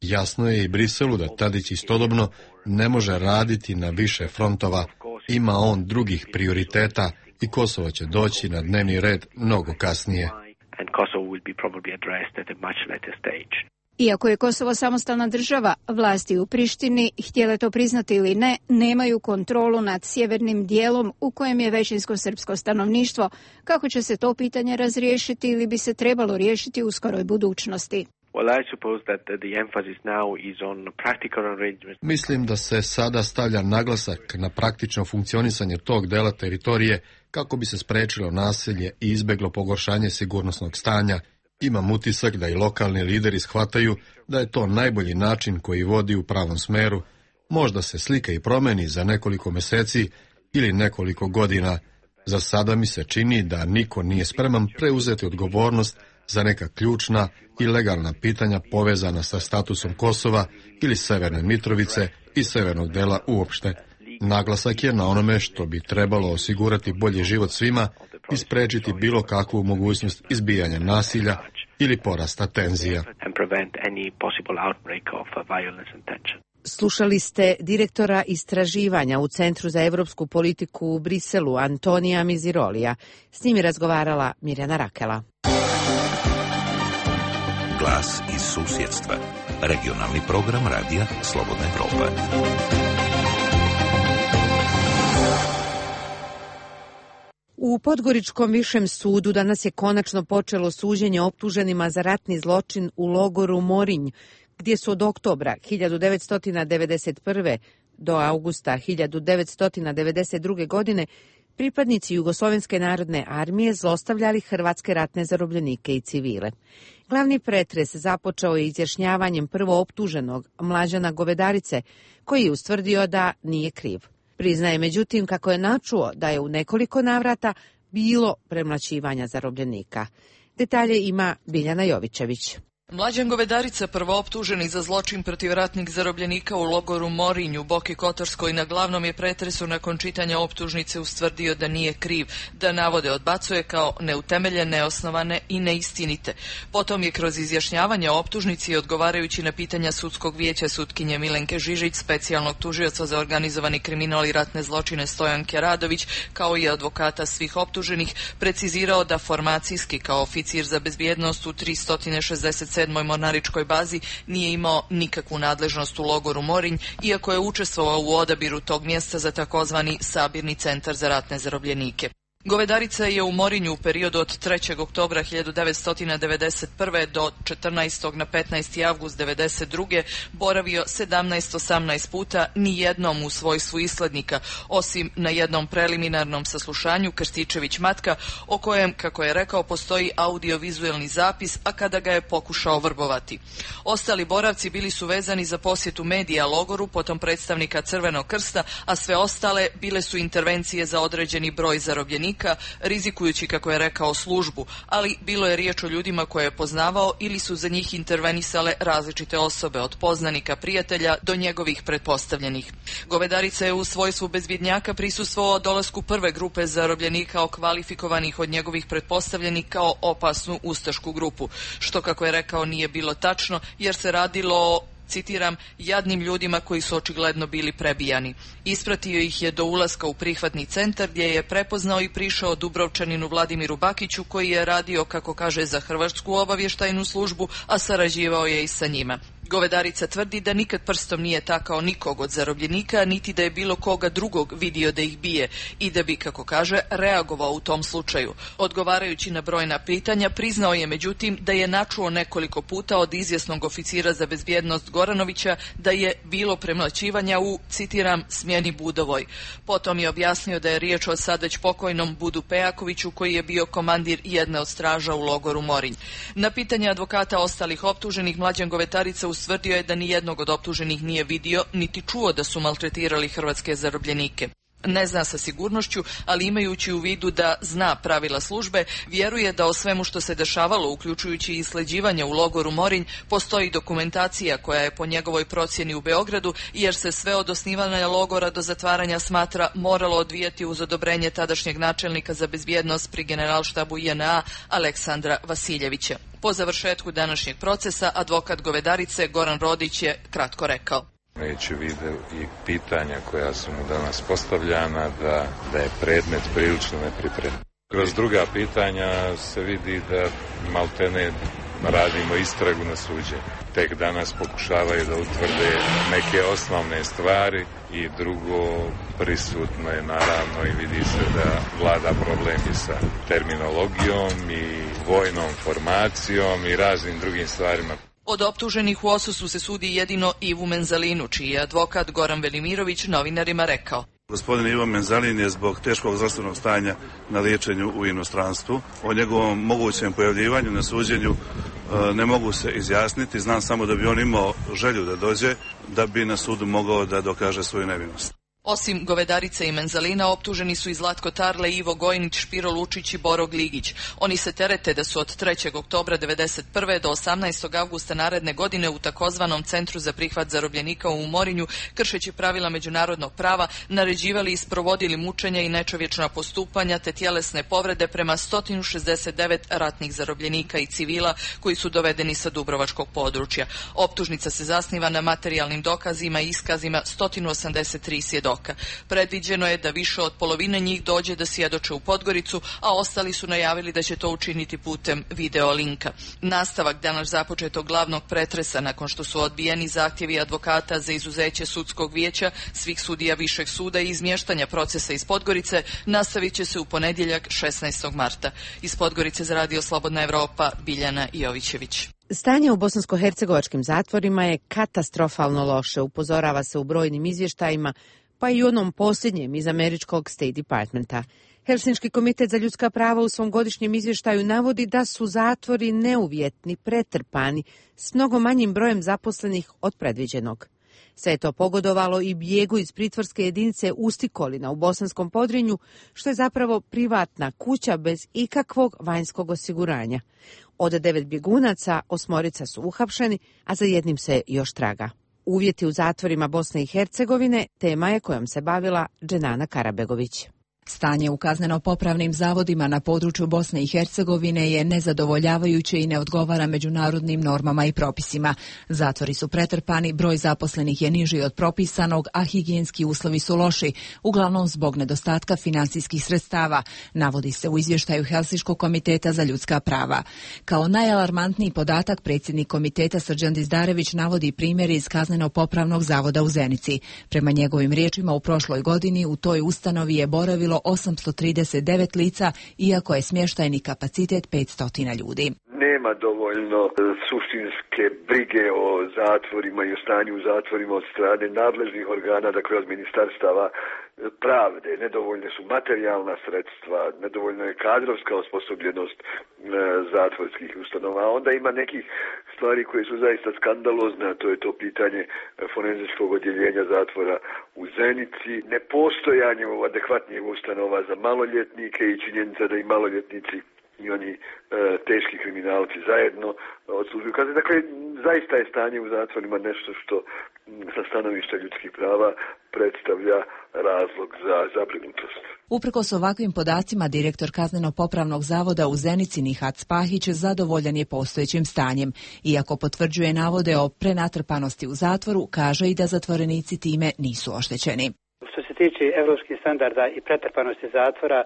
Jasno je i Briselu da Tadić istodobno ne može raditi na više frontova. Ima on drugih prioriteta i Kosovo će doći na dnevni red mnogo kasnije. Iako je Kosovo samostalna država, vlasti u Prištini, htjele to priznati ili ne, nemaju kontrolu nad sjevernim dijelom u kojem je većinsko srpsko stanovništvo. Kako će se to pitanje razriješiti ili bi se trebalo riješiti u skoroj budućnosti? Mislim da se sada stavlja naglasak na praktično funkcionisanje tog dela teritorije kako bi se sprečilo nasilje i izbeglo pogoršanje sigurnosnog stanja. Imam utisak da i lokalni lideri shvataju da je to najbolji način koji vodi u pravom smeru. Možda se slika i promeni za nekoliko meseci ili nekoliko godina. Za sada mi se čini da niko nije spreman preuzeti odgovornost za neka ključna i legalna pitanja povezana sa statusom Kosova ili Severne Mitrovice i severnog dela uopšte. Naglasak je na onome što bi trebalo osigurati bolji život svima i sprečiti bilo kakvu mogućnost izbijanja nasilja ili porasta tenzija. Slušali ste direktora istraživanja u Centru za evropsku politiku u Briselu, Antonija Mizirolija. S njim je razgovarala Mirjana Rakela. Glas iz susjedstva. Regionalni program radija Slobodna Evropa. U Podgoričkom višem sudu danas je konačno počelo suđenje optuženima za ratni zločin u logoru Morinj, gdje su od oktobra hiljadu devetsto devedeset prve. do avgusta hiljadu devetsto devedeset druge. godine pripadnici Jugoslovenske narodne armije zlostavljali hrvatske ratne zarobljenike i civile. Glavni pretres započeo je izjašnjavanjem prvo optuženog Mlađana Govedarice, koji je ustvrdio da nije kriv. Priznaje međutim kako je načuo da je u nekoliko navrata bilo premlaćivanja zarobljenika. Detalje ima Biljana Jovićević. Mlađan Govedarica, prvooptuženi za zločin protiv ratnih zarobljenika u logoru Morinj u Boki Kotorskoj, na glavnom je pretresu nakon čitanja optužnice ustvrdio da nije kriv, da navode odbacuje kao neutemeljene, neosnovane i neistinite. Potom je kroz izjašnjavanje o optužnici i odgovarajući na pitanja sudskog vijeća sutkinje Milenke Žižić, specijalnog tužioca za organizovani kriminal i ratne zločine Stojanke Radović, kao i advokata svih optuženih, precizirao da formacijski kao oficir za bezbjednost u tristo šezdeset sedmoj mornaričkoj bazi nije imao nikakvu nadležnost u logoru Morinj, iako je učestvovao u odabiru tog mjesta za takozvani sabirni centar za ratne zarobljenike. Govedarica je u Morinju u periodu od trećeg oktobra hiljadu devetsto devedeset prve. do četrnaestog na petnaesti avgust devedeset druge. boravio sedamnaest osamnaest puta, ni jednom u svojstvu islednika, osim na jednom preliminarnom saslušanju Krstičević Matka, o kojem, kako je rekao, postoji audiovizuelni zapis, a kada ga je pokušao vrbovati. Ostali boravci bili su vezani za posjetu medija logoru, potom predstavnika Crvenog krsta, a sve ostale bile su intervencije za određeni broj zarobljenika, rizikujući, kako je rekao, službu, ali bilo je riječ o ljudima koje je poznavao ili su za njih intervenisale različite osobe, od poznanika, prijatelja do njegovih pretpostavljenih. Govedarica je u svojstvu bezbjednjaka prisustvovao dolasku prve grupe zarobljenika okvalifikovanih od njegovih pretpostavljenih kao opasnu ustašku grupu, što, kako je rekao, nije bilo tačno, jer se radilo o, citiram, jadnim ljudima koji su očigledno bili prebijani. Ispratio ih je do ulaska u prihvatni centar, gdje je prepoznao i prišao Dubrovčaninu Vladimiru Bakiću, koji je radio, kako kaže, za hrvatsku obavještajnu službu, a sarađivao je i sa njima. Govedarica tvrdi da nikad prstom nije takao nikog od zarobljenika, niti da je bilo koga drugog vidio da ih bije i da bi, kako kaže, reagovao u tom slučaju. Odgovarajući na brojna pitanja, priznao je međutim da je načuo nekoliko puta od izvjesnog oficira za bezbjednost Goranovića da je bilo premlaćivanja u, citiram, smjeni Budovoj. Potom je objasnio da je riječ o sad već pokojnom Budu Pejakoviću koji je bio komandir jedne od straža u logoru Morinj. Na pitanje advokata ostalih optuženih, Mlađan Govetarica ustvrdio je da ni jednog od optuženih nije vidio niti čuo da su maltretirali hrvatske zarobljenike. Ne zna sa sigurnošću, ali imajući u vidu da zna pravila službe, vjeruje da o svemu što se dešavalo, uključujući i sleđivanje u logoru Morinj, postoji dokumentacija koja je po njegovoj procjeni u Beogradu, jer se sve od osnivanja logora do zatvaranja smatra moralo odvijati uz odobrenje tadašnjeg načelnika za bezbjednost pri generalštabu J N A Aleksandra Vasiljevića. Po završetku današnjeg procesa, advokat Govedarice Goran Rodić je kratko rekao: Imajući vide i pitanja koja su mu danas postavljana, da, da je predmet prilično nepripremljen. Kroz druga pitanja se vidi da maltene radimo istragu na suđenju. Tek danas pokušavaju da utvrde neke osnovne stvari i drugo, prisutno je naravno i vidi se da vlada problem i sa terminologijom i vojnom formacijom i raznim drugim stvarima. Od optuženih u Osusu se sudi jedino Ivu Menzalinu, čiji je advokat Goran Velimirović novinarima rekao: Gospodin Ivo Menzalin je zbog teškog zdravstvenog stanja na liječenju u inostranstvu. O njegovom mogućem pojavljivanju na suđenju ne mogu se izjasniti. Znam samo da bi on imao želju da dođe, da bi na sudu mogao da dokaže svoju nevinost. Osim Govedarice i Menzalina, optuženi su i Zlatko Tarle, Ivo Gojnić, Špiro Lučić i Boro Gligić. Oni se terete da su od trećeg oktobra devedeset prve do osamnaestog avgusta naredne godine u takozvanom Centru za prihvat zarobljenika u Morinju, kršeći pravila međunarodnog prava, naređivali i sprovodili mučenja i nečovječna postupanja te tjelesne povrede prema sto šezdeset devet ratnih zarobljenika i civila koji su dovedeni sa dubrovačkog područja. Optužnica se zasniva na materijalnim dokazima i iskazima sto osamdeset tri svjedoka. Predviđeno je da više od polovine njih dođe da svjedoče u Podgoricu, a ostali su najavili da će to učiniti putem video linka. Nastavak danas započetog glavnog pretresa nakon što su odbijeni zahtjevi advokata za izuzeće sudskog vijeća, svih sudija višeg suda i izmještanja procesa iz Podgorice nastavit će se u ponedjeljak šesnaestog marta. Iz Podgorice za Radio Slobodna Evropa, Biljana Jovićević. Stanje u bosansko-hercegovačkim zatvorima je katastrofalno loše, upozorava se u brojnim izvještajima, pa i u onom posljednjem iz američkog State Departmenta. Helsinški komitet za ljudska prava u svom godišnjem izvještaju navodi da su zatvori neuvjetni, pretrpani, s mnogo manjim brojem zaposlenih od predviđenog. Sve je to pogodovalo i bijegu iz pritvorske jedinice Ustikolina u Bosanskom Podrinju, što je zapravo privatna kuća bez ikakvog vanjskog osiguranja. Od devet bjegunaca, osmorica su uhapšeni, a za jednim se još traga. Uvjeti u zatvorima Bosne i Hercegovine tema je kojom se bavila Dženana Karabegović. Stanje u kazneno-popravnim zavodima na području Bosne i Hercegovine je nezadovoljavajuće i ne odgovara međunarodnim normama i propisima. Zatvori su pretrpani, broj zaposlenih je niži od propisanog, a higijenski uslovi su loši, uglavnom zbog nedostatka finansijskih sredstava, navodi se u izvještaju Helsinškog komiteta za ljudska prava. Kao najalarmantniji podatak predsjednik komiteta Srđan Dizdarević navodi primjere iz kazneno-popravnog zavoda u Zenici. Prema njegovim riječima, u prošloj godini u toj ustanovi je boravilo osamsto trideset devet lica, iako je smještajni kapacitet petsto ljudi. Nema dovoljno suštinske brige o zatvorima i o stanju u zatvorima od strane nadležnih organa, dakle od ministarstava pravde. Nedovoljne su materijalna sredstva, nedovoljna je kadrovska osposobljenost e, zatvorskih ustanova. A onda ima nekih stvari koje su zaista skandalozne, a to je to pitanje forenzičkog odjeljenja zatvora u Zenici, nepostojanje adekvatnih ustanova za maloljetnike i činjenica da i maloljetnici i oni e, teški kriminalci zajedno odslužuju kazne. Dakle, zaista je stanje u zatvorima nešto što sa stanovišta ljudskih prava predstavlja razlog za zabrinutost. Uprkos ovakvim podacima, direktor kazneno-popravnog zavoda u Zenici Nihat Spahić zadovoljan je postojećim stanjem. Iako potvrđuje navode o prenatrpanosti u zatvoru, kaže i da zatvorenici time nisu oštećeni. Što se tiče evropskih standarda i pretrpanosti zatvora,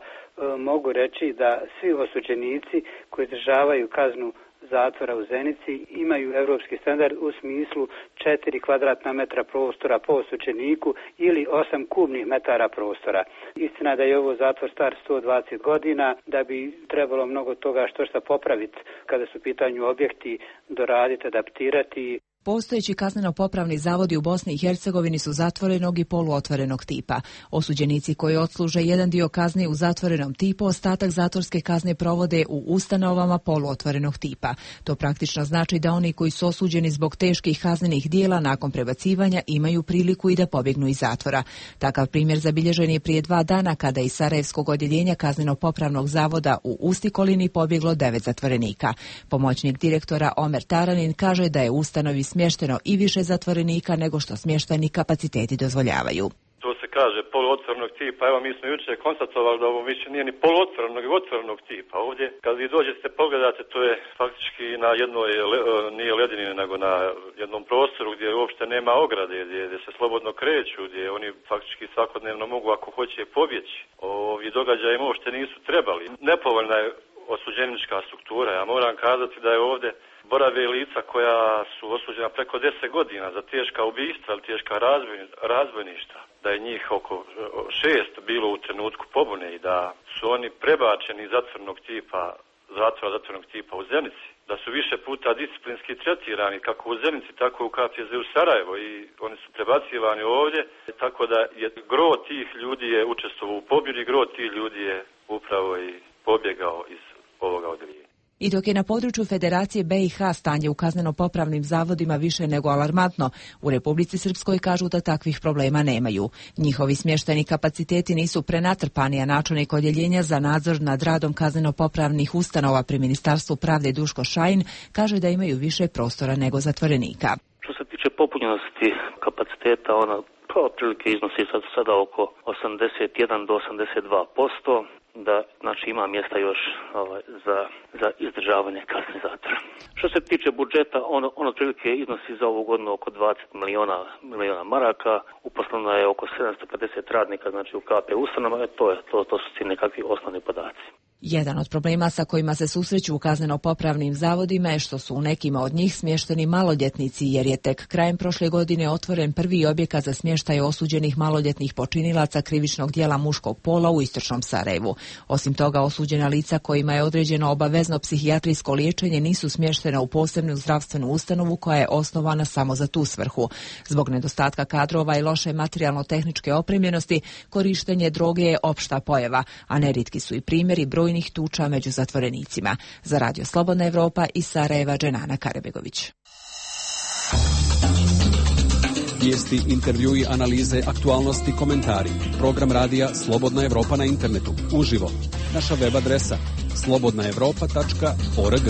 mogu reći da svi osuđenici koji izdržavaju kaznu zatvora u Zenici imaju europski standard u smislu četiri kvadratna metra prostora po osuđeniku ili osam kubnih metara prostora. Istina da je ovo zatvor star sto dvadeset godina, da bi trebalo mnogo toga što šta popraviti kada su u pitanju objekti, doraditi, adaptirati. Postojeći kazneno-popravni zavodi u Bosni i Hercegovini su zatvorenog i poluotvorenog tipa. Osuđenici koji odsluže jedan dio kazne u zatvorenom tipu, ostatak zatvorske kazne provode u ustanovama poluotvorenog tipa. To praktično znači da oni koji su osuđeni zbog teških kaznenih dijela nakon prebacivanja imaju priliku i da pobjegnu iz zatvora. Takav primjer zabilježen je prije dva dana kada iz Sarajevskog odjeljenja kazneno-popravnog zavoda u Ustikolini pobjeglo devet zatvorenika. Pomoćnik direktora Omer Taranin kaže da je u ustanovi smješteno i više zatvorenika nego što smještajni kapaciteti dozvoljavaju. To se kaže poluotvorenog tipa. Evo, mi smo jučer konstatovali da ovo više nije ni poluotvorenog, nego otvorenog tipa. Ovdje, kad vi dođete pogledate, to je faktički na jednoj, nije ledini, nego na jednom prostoru gdje uopšte nema ograde, gdje, gdje se slobodno kreću, gdje oni faktički svakodnevno mogu, ako hoće, pobjeći. Ovi događaji uopšte nisu trebali. Nepovoljna je osuđenička struktura. Ja moram kazati da je ovdje borave lica koja su osuđena preko deset godina za teška ubistva ili teška razbojništva, da je njih oko šest bilo u trenutku pobune i da su oni prebačeni iz zatvornog tipa, zatvora zatvornog tipa u Zenici, da su više puta disciplinski tretirani kako u Zenici, tako i u K P Z u Sarajevo i oni su prebacivani ovdje, tako da je gro tih ljudi je učestvovao u pobjedi, gro tih ljudi je upravo i pobjegao iz ovoga odjeljenja. I dok je na području Federacije B i H stanje u kazneno-popravnim zavodima više nego alarmantno, u Republici Srpskoj kažu da takvih problema nemaju. Njihovi smještajni kapaciteti nisu prenatrpani, a načelnik odjeljenja za nadzor nad radom kazneno-popravnih ustanova pri Ministarstvu pravde Duško Šajin kaže da imaju više prostora nego zatvorenika. Što se tiče popunjenosti kapaciteta, ona pa otprilike iznosi sad, sada oko osamdeset jedan do osamdeset dva posto. Da, znači ima mjesta još ovaj, za, za izdržavanje kazne zatvora. Što se tiče budžeta, ono, ono otprilike iznosi za ovu godinu oko dvadeset miliona, miliona maraka, uposleno je oko sedamsto pedeset radnika, znači u K P ustanova, to, je, to, to su ti nekakvi osnovni podaci. Jedan od problema sa kojima se susreću u kazneno-popravnim zavodima je što su u nekima od njih smješteni maloljetnici, jer je tek krajem prošle godine otvoren prvi objekat za smještaj osuđenih maloljetnih počinilaca krivičnog djela muškog pola u istočnom Sarajevu. Osim toga, osuđena lica kojima je određeno obavezno psihijatrijsko liječenje nisu smještena u posebnu zdravstvenu ustanovu koja je osnovana samo za tu svrhu. Zbog nedostatka kadrova i loše materijalno-tehničke opremljenosti, korištenje droge je opšta pojava, a neritki su i primjeri brojnih tuča među zatvorenicima. Za Radio Slobodna Evropa iz Sarajeva, Dženana Karabegović. Vijesti, intervjui, analize, aktualnosti, komentari. Program radija Slobodna Evropa na internetu. Uživo. Naša web adresa slobodna evropa tačka org.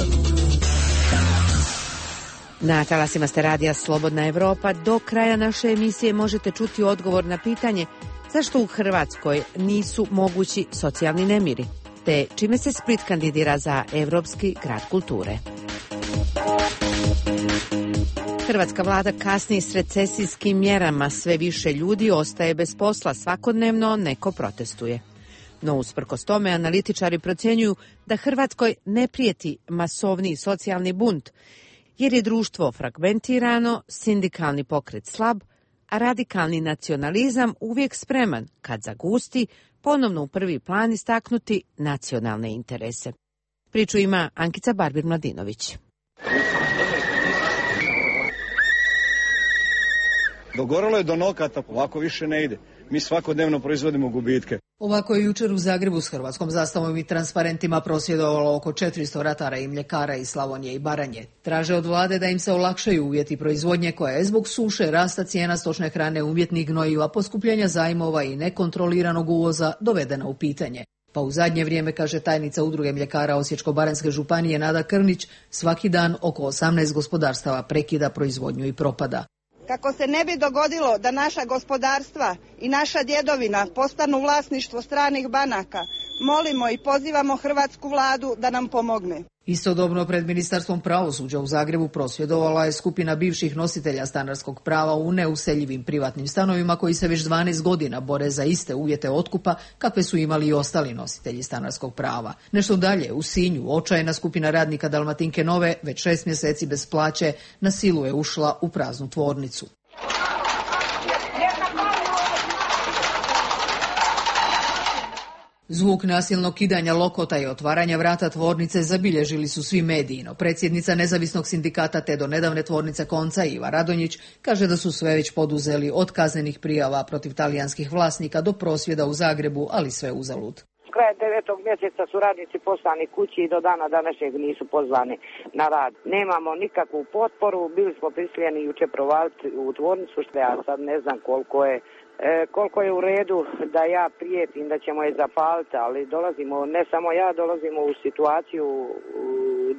Na talasima ste radija Slobodna Evropa. Do kraja naše emisije možete čuti odgovor na pitanje zašto u Hrvatskoj nisu mogući socijalni nemiri, te čime se Split kandidira za Evropski grad kulture. Hrvatska vlada kasni s recesijskim mjerama, sve više ljudi ostaje bez posla, svakodnevno neko protestuje. No usprkos tome analitičari procjenjuju da Hrvatskoj ne prijeti masovni socijalni bunt, jer je društvo fragmentirano, sindikalni pokret slab, a radikalni nacionalizam uvijek spreman, kad zagusti, ponovno u prvi plan istaknuti nacionalne interese. Priču ima Ankica Barbir-Mladinović. Dogorelo je do nokata, ovako više ne ide. Mi svakodnevno proizvodimo gubitke. Ovako je jučer u Zagrebu s hrvatskom zastavom i transparentima prosvjedovalo oko četiristo ratara i mljekara iz Slavonije i Baranje. Traže od vlade da im se olakšaju uvjeti proizvodnje koja je zbog suše, rasta cijena stočne hrane, umjetnih gnojiva, poskupljenja zajmova i nekontroliranog uvoza dovedena u pitanje. Pa u zadnje vrijeme, kaže tajnica Udruge mljekara Osječko-baranjske županije Nada Krnić, svaki dan oko osamnaest gospodarstava prekida proizvodnju i propada. Kako se ne bi dogodilo da naša gospodarstva i naša djedovina postanu vlasništvo stranih banaka, molimo i pozivamo hrvatsku vladu da nam pomogne. Istodobno pred Ministarstvom pravosuđa u Zagrebu prosvjedovala je skupina bivših nositelja stanarskog prava u neuseljivim privatnim stanovima koji se već dvanaest godina bore za iste uvjete otkupa kakve su imali i ostali nositelji stanarskog prava. Nešto dalje, u Sinju, očajna skupina radnika Dalmatinke Nove već šest mjeseci bez plaće na silu je ušla u praznu tvornicu. Zvuk nasilnog kidanja lokota i otvaranja vrata tvornice zabilježili su svi mediji, no predsjednica nezavisnog sindikata te do nedavne tvornice Konca Iva Radonjić kaže da su sve već poduzeli od kaznenih prijava protiv talijanskih vlasnika do prosvjeda u Zagrebu, ali sve uzalud. Kraj devetog mjeseca su radnici poslani kući i do dana današnjeg nisu pozvani na rad. Nemamo nikakvu potporu, bili smo prisiljeni jučer provaliti u tvornicu, što ja sad ne znam koliko je E, koliko je u redu da ja prijetim da ćemo je zapaliti, ali dolazimo, ne samo ja, dolazimo u situaciju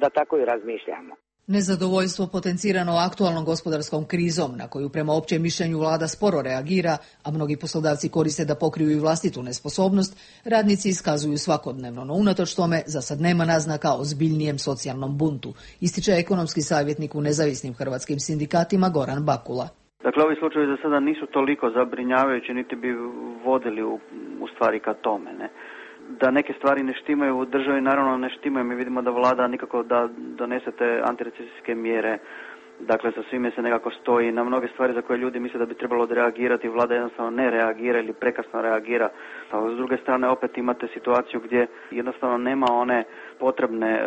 da tako i razmišljamo. Nezadovoljstvo potencirano aktualnom gospodarskom krizom, na koju prema općem mišljenju vlada sporo reagira, a mnogi poslodavci koriste da pokriju i vlastitu nesposobnost, radnici iskazuju svakodnevno, no unatoč tome za sad nema naznaka o zbiljnijem socijalnom buntu, ističe ekonomski savjetnik u nezavisnim hrvatskim sindikatima Goran Bakula. Dakle, ovi slučajevi za sada nisu toliko zabrinjavajući, niti bi vodili u, u stvari ka tome, ne. Da neke stvari ne štimaju u državi, naravno ne štimaju. Mi vidimo da vlada nikako da donese te antirecesijske mjere, dakle sa svime se nekako stoji na mnoge stvari za koje ljudi misle da bi trebalo odreagirati, vlada jednostavno ne reagira ili prekasno reagira. A s druge strane opet imate situaciju gdje jednostavno nema one potrebne e,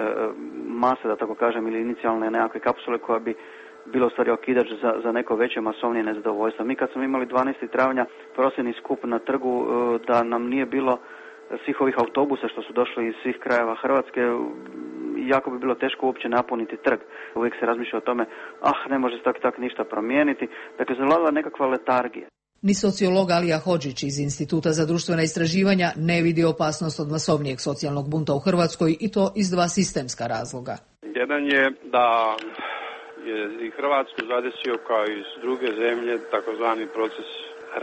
mase, da tako kažem, ili inicijalne nekakve kapsule koja bi bilo u stvari okidač za, za neko veće masovnije nezadovoljstvo. Mi kad smo imali dvanaestog travnja prosvjedni skup na trgu, da nam nije bilo svih ovih autobusa što su došli iz svih krajeva Hrvatske, jako bi bilo teško uopće napuniti trg. Uvijek se razmišlja o tome, ah, ne može se tak tak ništa promijeniti. Dakle, zavladala nekakva letargija. Ni sociolog Alija Hodžić iz Instituta za društvena istraživanja ne vidi opasnost od masovnijeg socijalnog bunta u Hrvatskoj, i to iz dva sistemska razloga. Jedan je da je i Hrvatsku zadesio kao i druge zemlje takozvani proces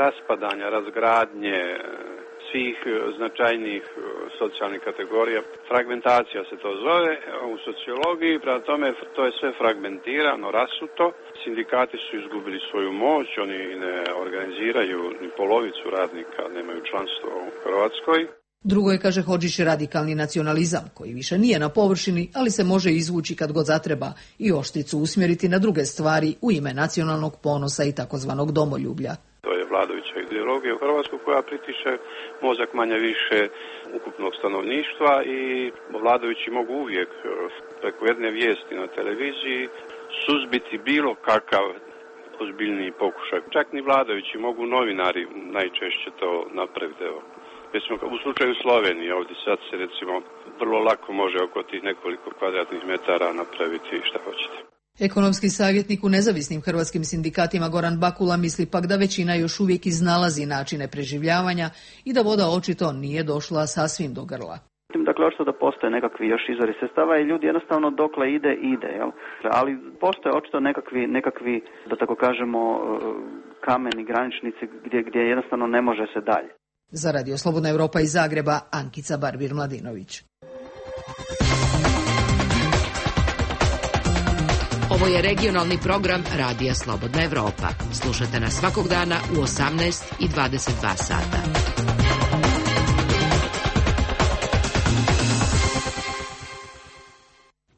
raspadanja, razgradnje svih značajnijih socijalnih kategorija. Fragmentacija se to zove u sociologiji, prema tome to je sve fragmentirano, rasuto. Sindikati su izgubili svoju moć, oni ne organiziraju ni polovicu radnika, nemaju članstvo u Hrvatskoj. Drugo je, kaže Hodžić, radikalni nacionalizam, koji više nije na površini, ali se može izvući kad god zatreba i oštricu usmjeriti na druge stvari u ime nacionalnog ponosa i takozvanog domoljublja. To je vladajuća ideologija u Hrvatskoj koja pritiše mozak manje više ukupnog stanovništva i vladajući mogu uvijek preko jedne vijesti na televiziji suzbiti bilo kakav ozbiljniji pokušaj. Čak ni vladajući, mogu novinari najčešće to napraviti. Evo. Recimo, u slučaju Slovenije, ovdje sad se recimo vrlo lako može oko tih nekoliko kvadratnih metara napraviti šta hoćete. Ekonomski savjetnik u nezavisnim hrvatskim sindikatima Goran Bakula misli pak da većina još uvijek iznalazi načine preživljavanja i da voda očito nije došla sasvim do grla. Dakle, očito da postoje nekakvi još izvori sredstava i ljudi jednostavno dokle ide, ide, jel? Ali postoje očito nekakvi, nekakvi, da tako kažemo, kameni graničnici gdje, gdje jednostavno ne može se dalje. Za Radio Slobodna Europa iz Zagreba, Ankica Barbir-Mladinović. Ovo je regionalni program Radija Slobodna Europa. Slušajte nas svakog dana u osamnaest i dvadeset dva sata.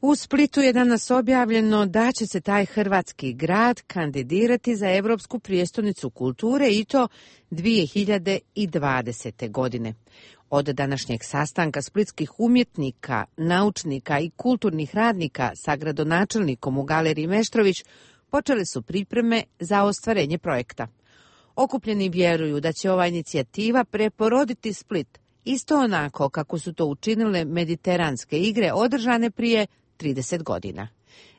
U Splitu je danas objavljeno da će se taj hrvatski grad kandidirati za Europsku prijestolnicu kulture i to dvije hiljade dvadesete. godine. Od današnjeg sastanka splitskih umjetnika, naučnika i kulturnih radnika sa gradonačelnikom u Galeriji Meštrović počele su pripreme za ostvarenje projekta. Okupljeni vjeruju da će ova inicijativa preporoditi Split, isto onako kako su to učinile mediteranske igre održane prije trideset godina.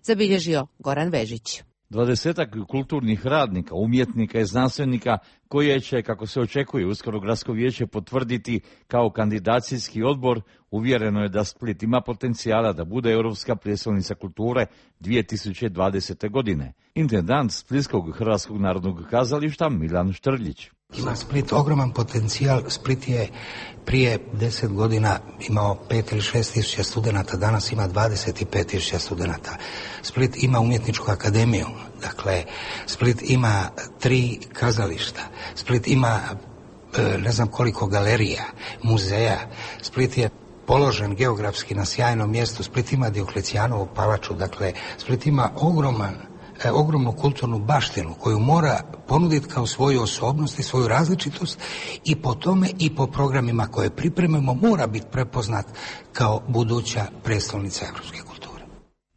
Zabilježio Goran Vežić. Dvadesetak kulturnih radnika, umjetnika i znanstvenika koje će, kako se očekuje, uskoro gradsko vijeće potvrditi kao kandidacijski odbor uvjereno je da Split ima potencijala da bude europska prijestolnica kulture dvije tisuće dvadesete. godine. Intendant Splitskog Hrvatskog narodnog kazališta Milan Štrljić. Ima Split ogroman potencijal. Split je prije deset godina imao pet ili šest tisuća studenata, danas ima dvadeset pet tisuća studenata. Split ima umjetničku akademiju, dakle Split ima tri kazališta, Split ima ne znam koliko galerija, muzeja, Split je položen geografski na sjajnom mjestu, Split ima Dioklecijanovu palaču, dakle Split ima ogroman ogromnu kulturnu baštinu koju mora ponuditi kao svoju osobnost i svoju različitost i po tome i po programima koje pripremimo mora biti prepoznat kao buduća prijestolnica europske kulture.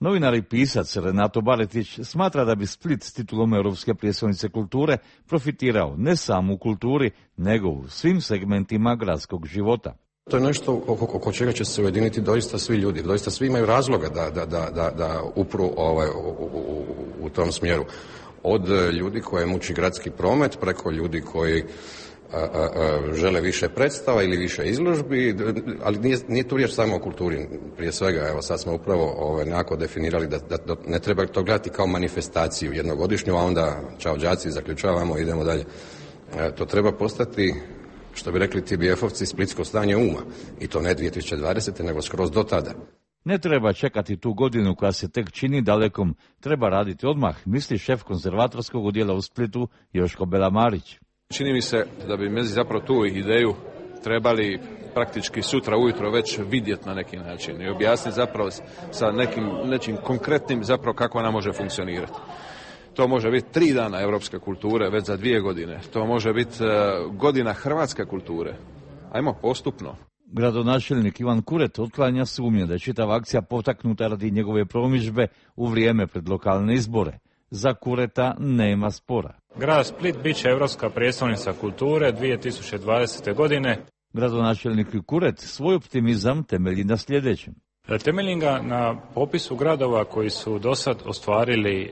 Novinar i pisac Renato Baretić smatra da bi Split s titulom Europske prijestolnice kulture profitirao ne samo u kulturi, nego u svim segmentima gradskog života. To je nešto oko, oko čega će se ujediniti doista svi ljudi, doista svi imaju razloga da, da, da, da, da upru ovaj, u, u, u tom smjeru. Od ljudi koje muči gradski promet, preko ljudi koji a, a, a, žele više predstava ili više izložbi, ali nije, nije tu riječ samo o kulturi, prije svega, evo sad smo upravo ovaj, nekako definirali da, da, da ne treba to gledati kao manifestaciju jednogodišnju, a onda čao đaci, zaključavamo, idemo dalje. E, to treba postati, što bi rekli T B F-ovci, splitsko stanje uma. I to ne dvije tisuće dvadesete. nego skroz do tada. Ne treba čekati tu godinu koja se tek čini dalekom. Treba raditi odmah, misli šef konzervatorskog odjela u Splitu Joško Belamarić. Čini mi se da bi mi zapravo tu ideju trebali praktički sutra ujutro već vidjeti na neki način i objasniti zapravo sa nekim, nekim konkretnim zapravo kako ona može funkcionirati. To može biti tri dana europske kulture već za dvije godine. To može biti uh, godina hrvatske kulture. Ajmo postupno. Gradonačelnik Ivan Kuret otklanja sumnje da je čitava akcija potaknuta radi njegove promidžbe u vrijeme pred lokalne izbore. Za Kureta nema spora. Grad Split bit će europska prijestolnica kulture dvije tisuće dvadesete. godine. Gradonačelnik Kuret svoj optimizam temelji na sljedećem. Temeljim ga na popisu gradova koji su do sad ostvarili e,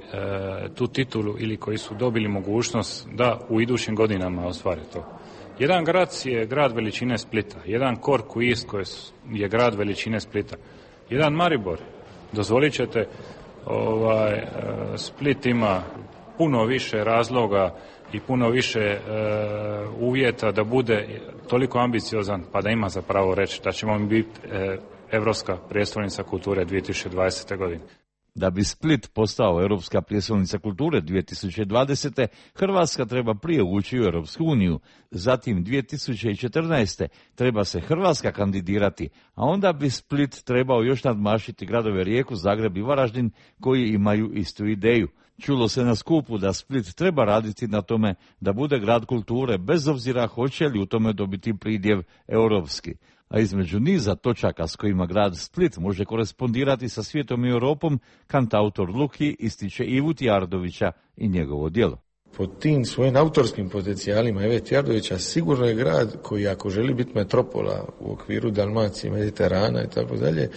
tu titulu ili koji su dobili mogućnost da u idućim godinama ostvare to. Jedan grad je grad veličine Splita, jedan Cork u Irskoj je grad veličine Splita, jedan Maribor. Dozvolit ćete, ovaj, e, Split ima puno više razloga i puno više e, uvjeta da bude toliko ambiciozan pa da ima za pravo reći da ćemo biti e, Europska prijestolnica kulture dvije tisuće dvadesete. godine. Da bi Split postao Europska prijestolnica kulture dvije tisuće dvadesete. Hrvatska treba prije ući u Europsku uniju. Zatim dvije tisuće četrnaeste. treba se Hrvatska kandidirati, a onda bi Split trebao još nadmašiti gradove Rijeku, Zagreb i Varaždin koji imaju istu ideju. Čulo se na skupu da Split treba raditi na tome da bude grad kulture bez obzira hoće li u tome dobiti pridjev europski. A između niza točaka s kojima grad Split može korespondirati sa svijetom i Europom, kantautor Luki ističe Ivu Tjardovića i njegovo djelo. Po tim svojim autorskim potencijalima Ive Tjardovića sigurno je grad koji ako želi biti metropola u okviru Dalmacije, Mediterana i tako dalje,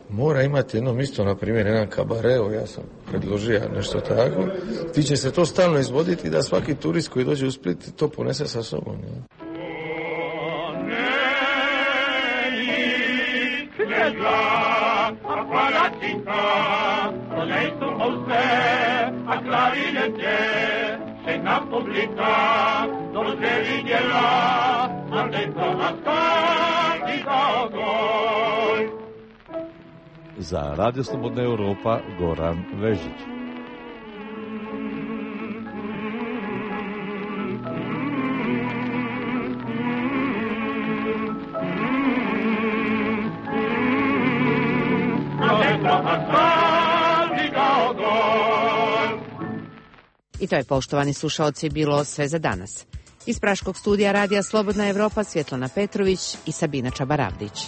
mora imati jedno mjesto, na primjer jedan kabareo, ja sam predložio nešto tako, ti će se to stalno izvoditi da svaki turist koji dođe u Split to ponese sa sobom. Ne? A palacinka, to lei su Jose, a clarinete, scena pubblica, dove videla, a dentro la scarica gol. Za Radio Slobodna Europa, Goran Vežić. I to je, poštovani slušaoci, bilo sve za danas. Iz Praškog studija Radija Slobodna Evropa Svjetlana Petrović i Sabina Čabaravdić.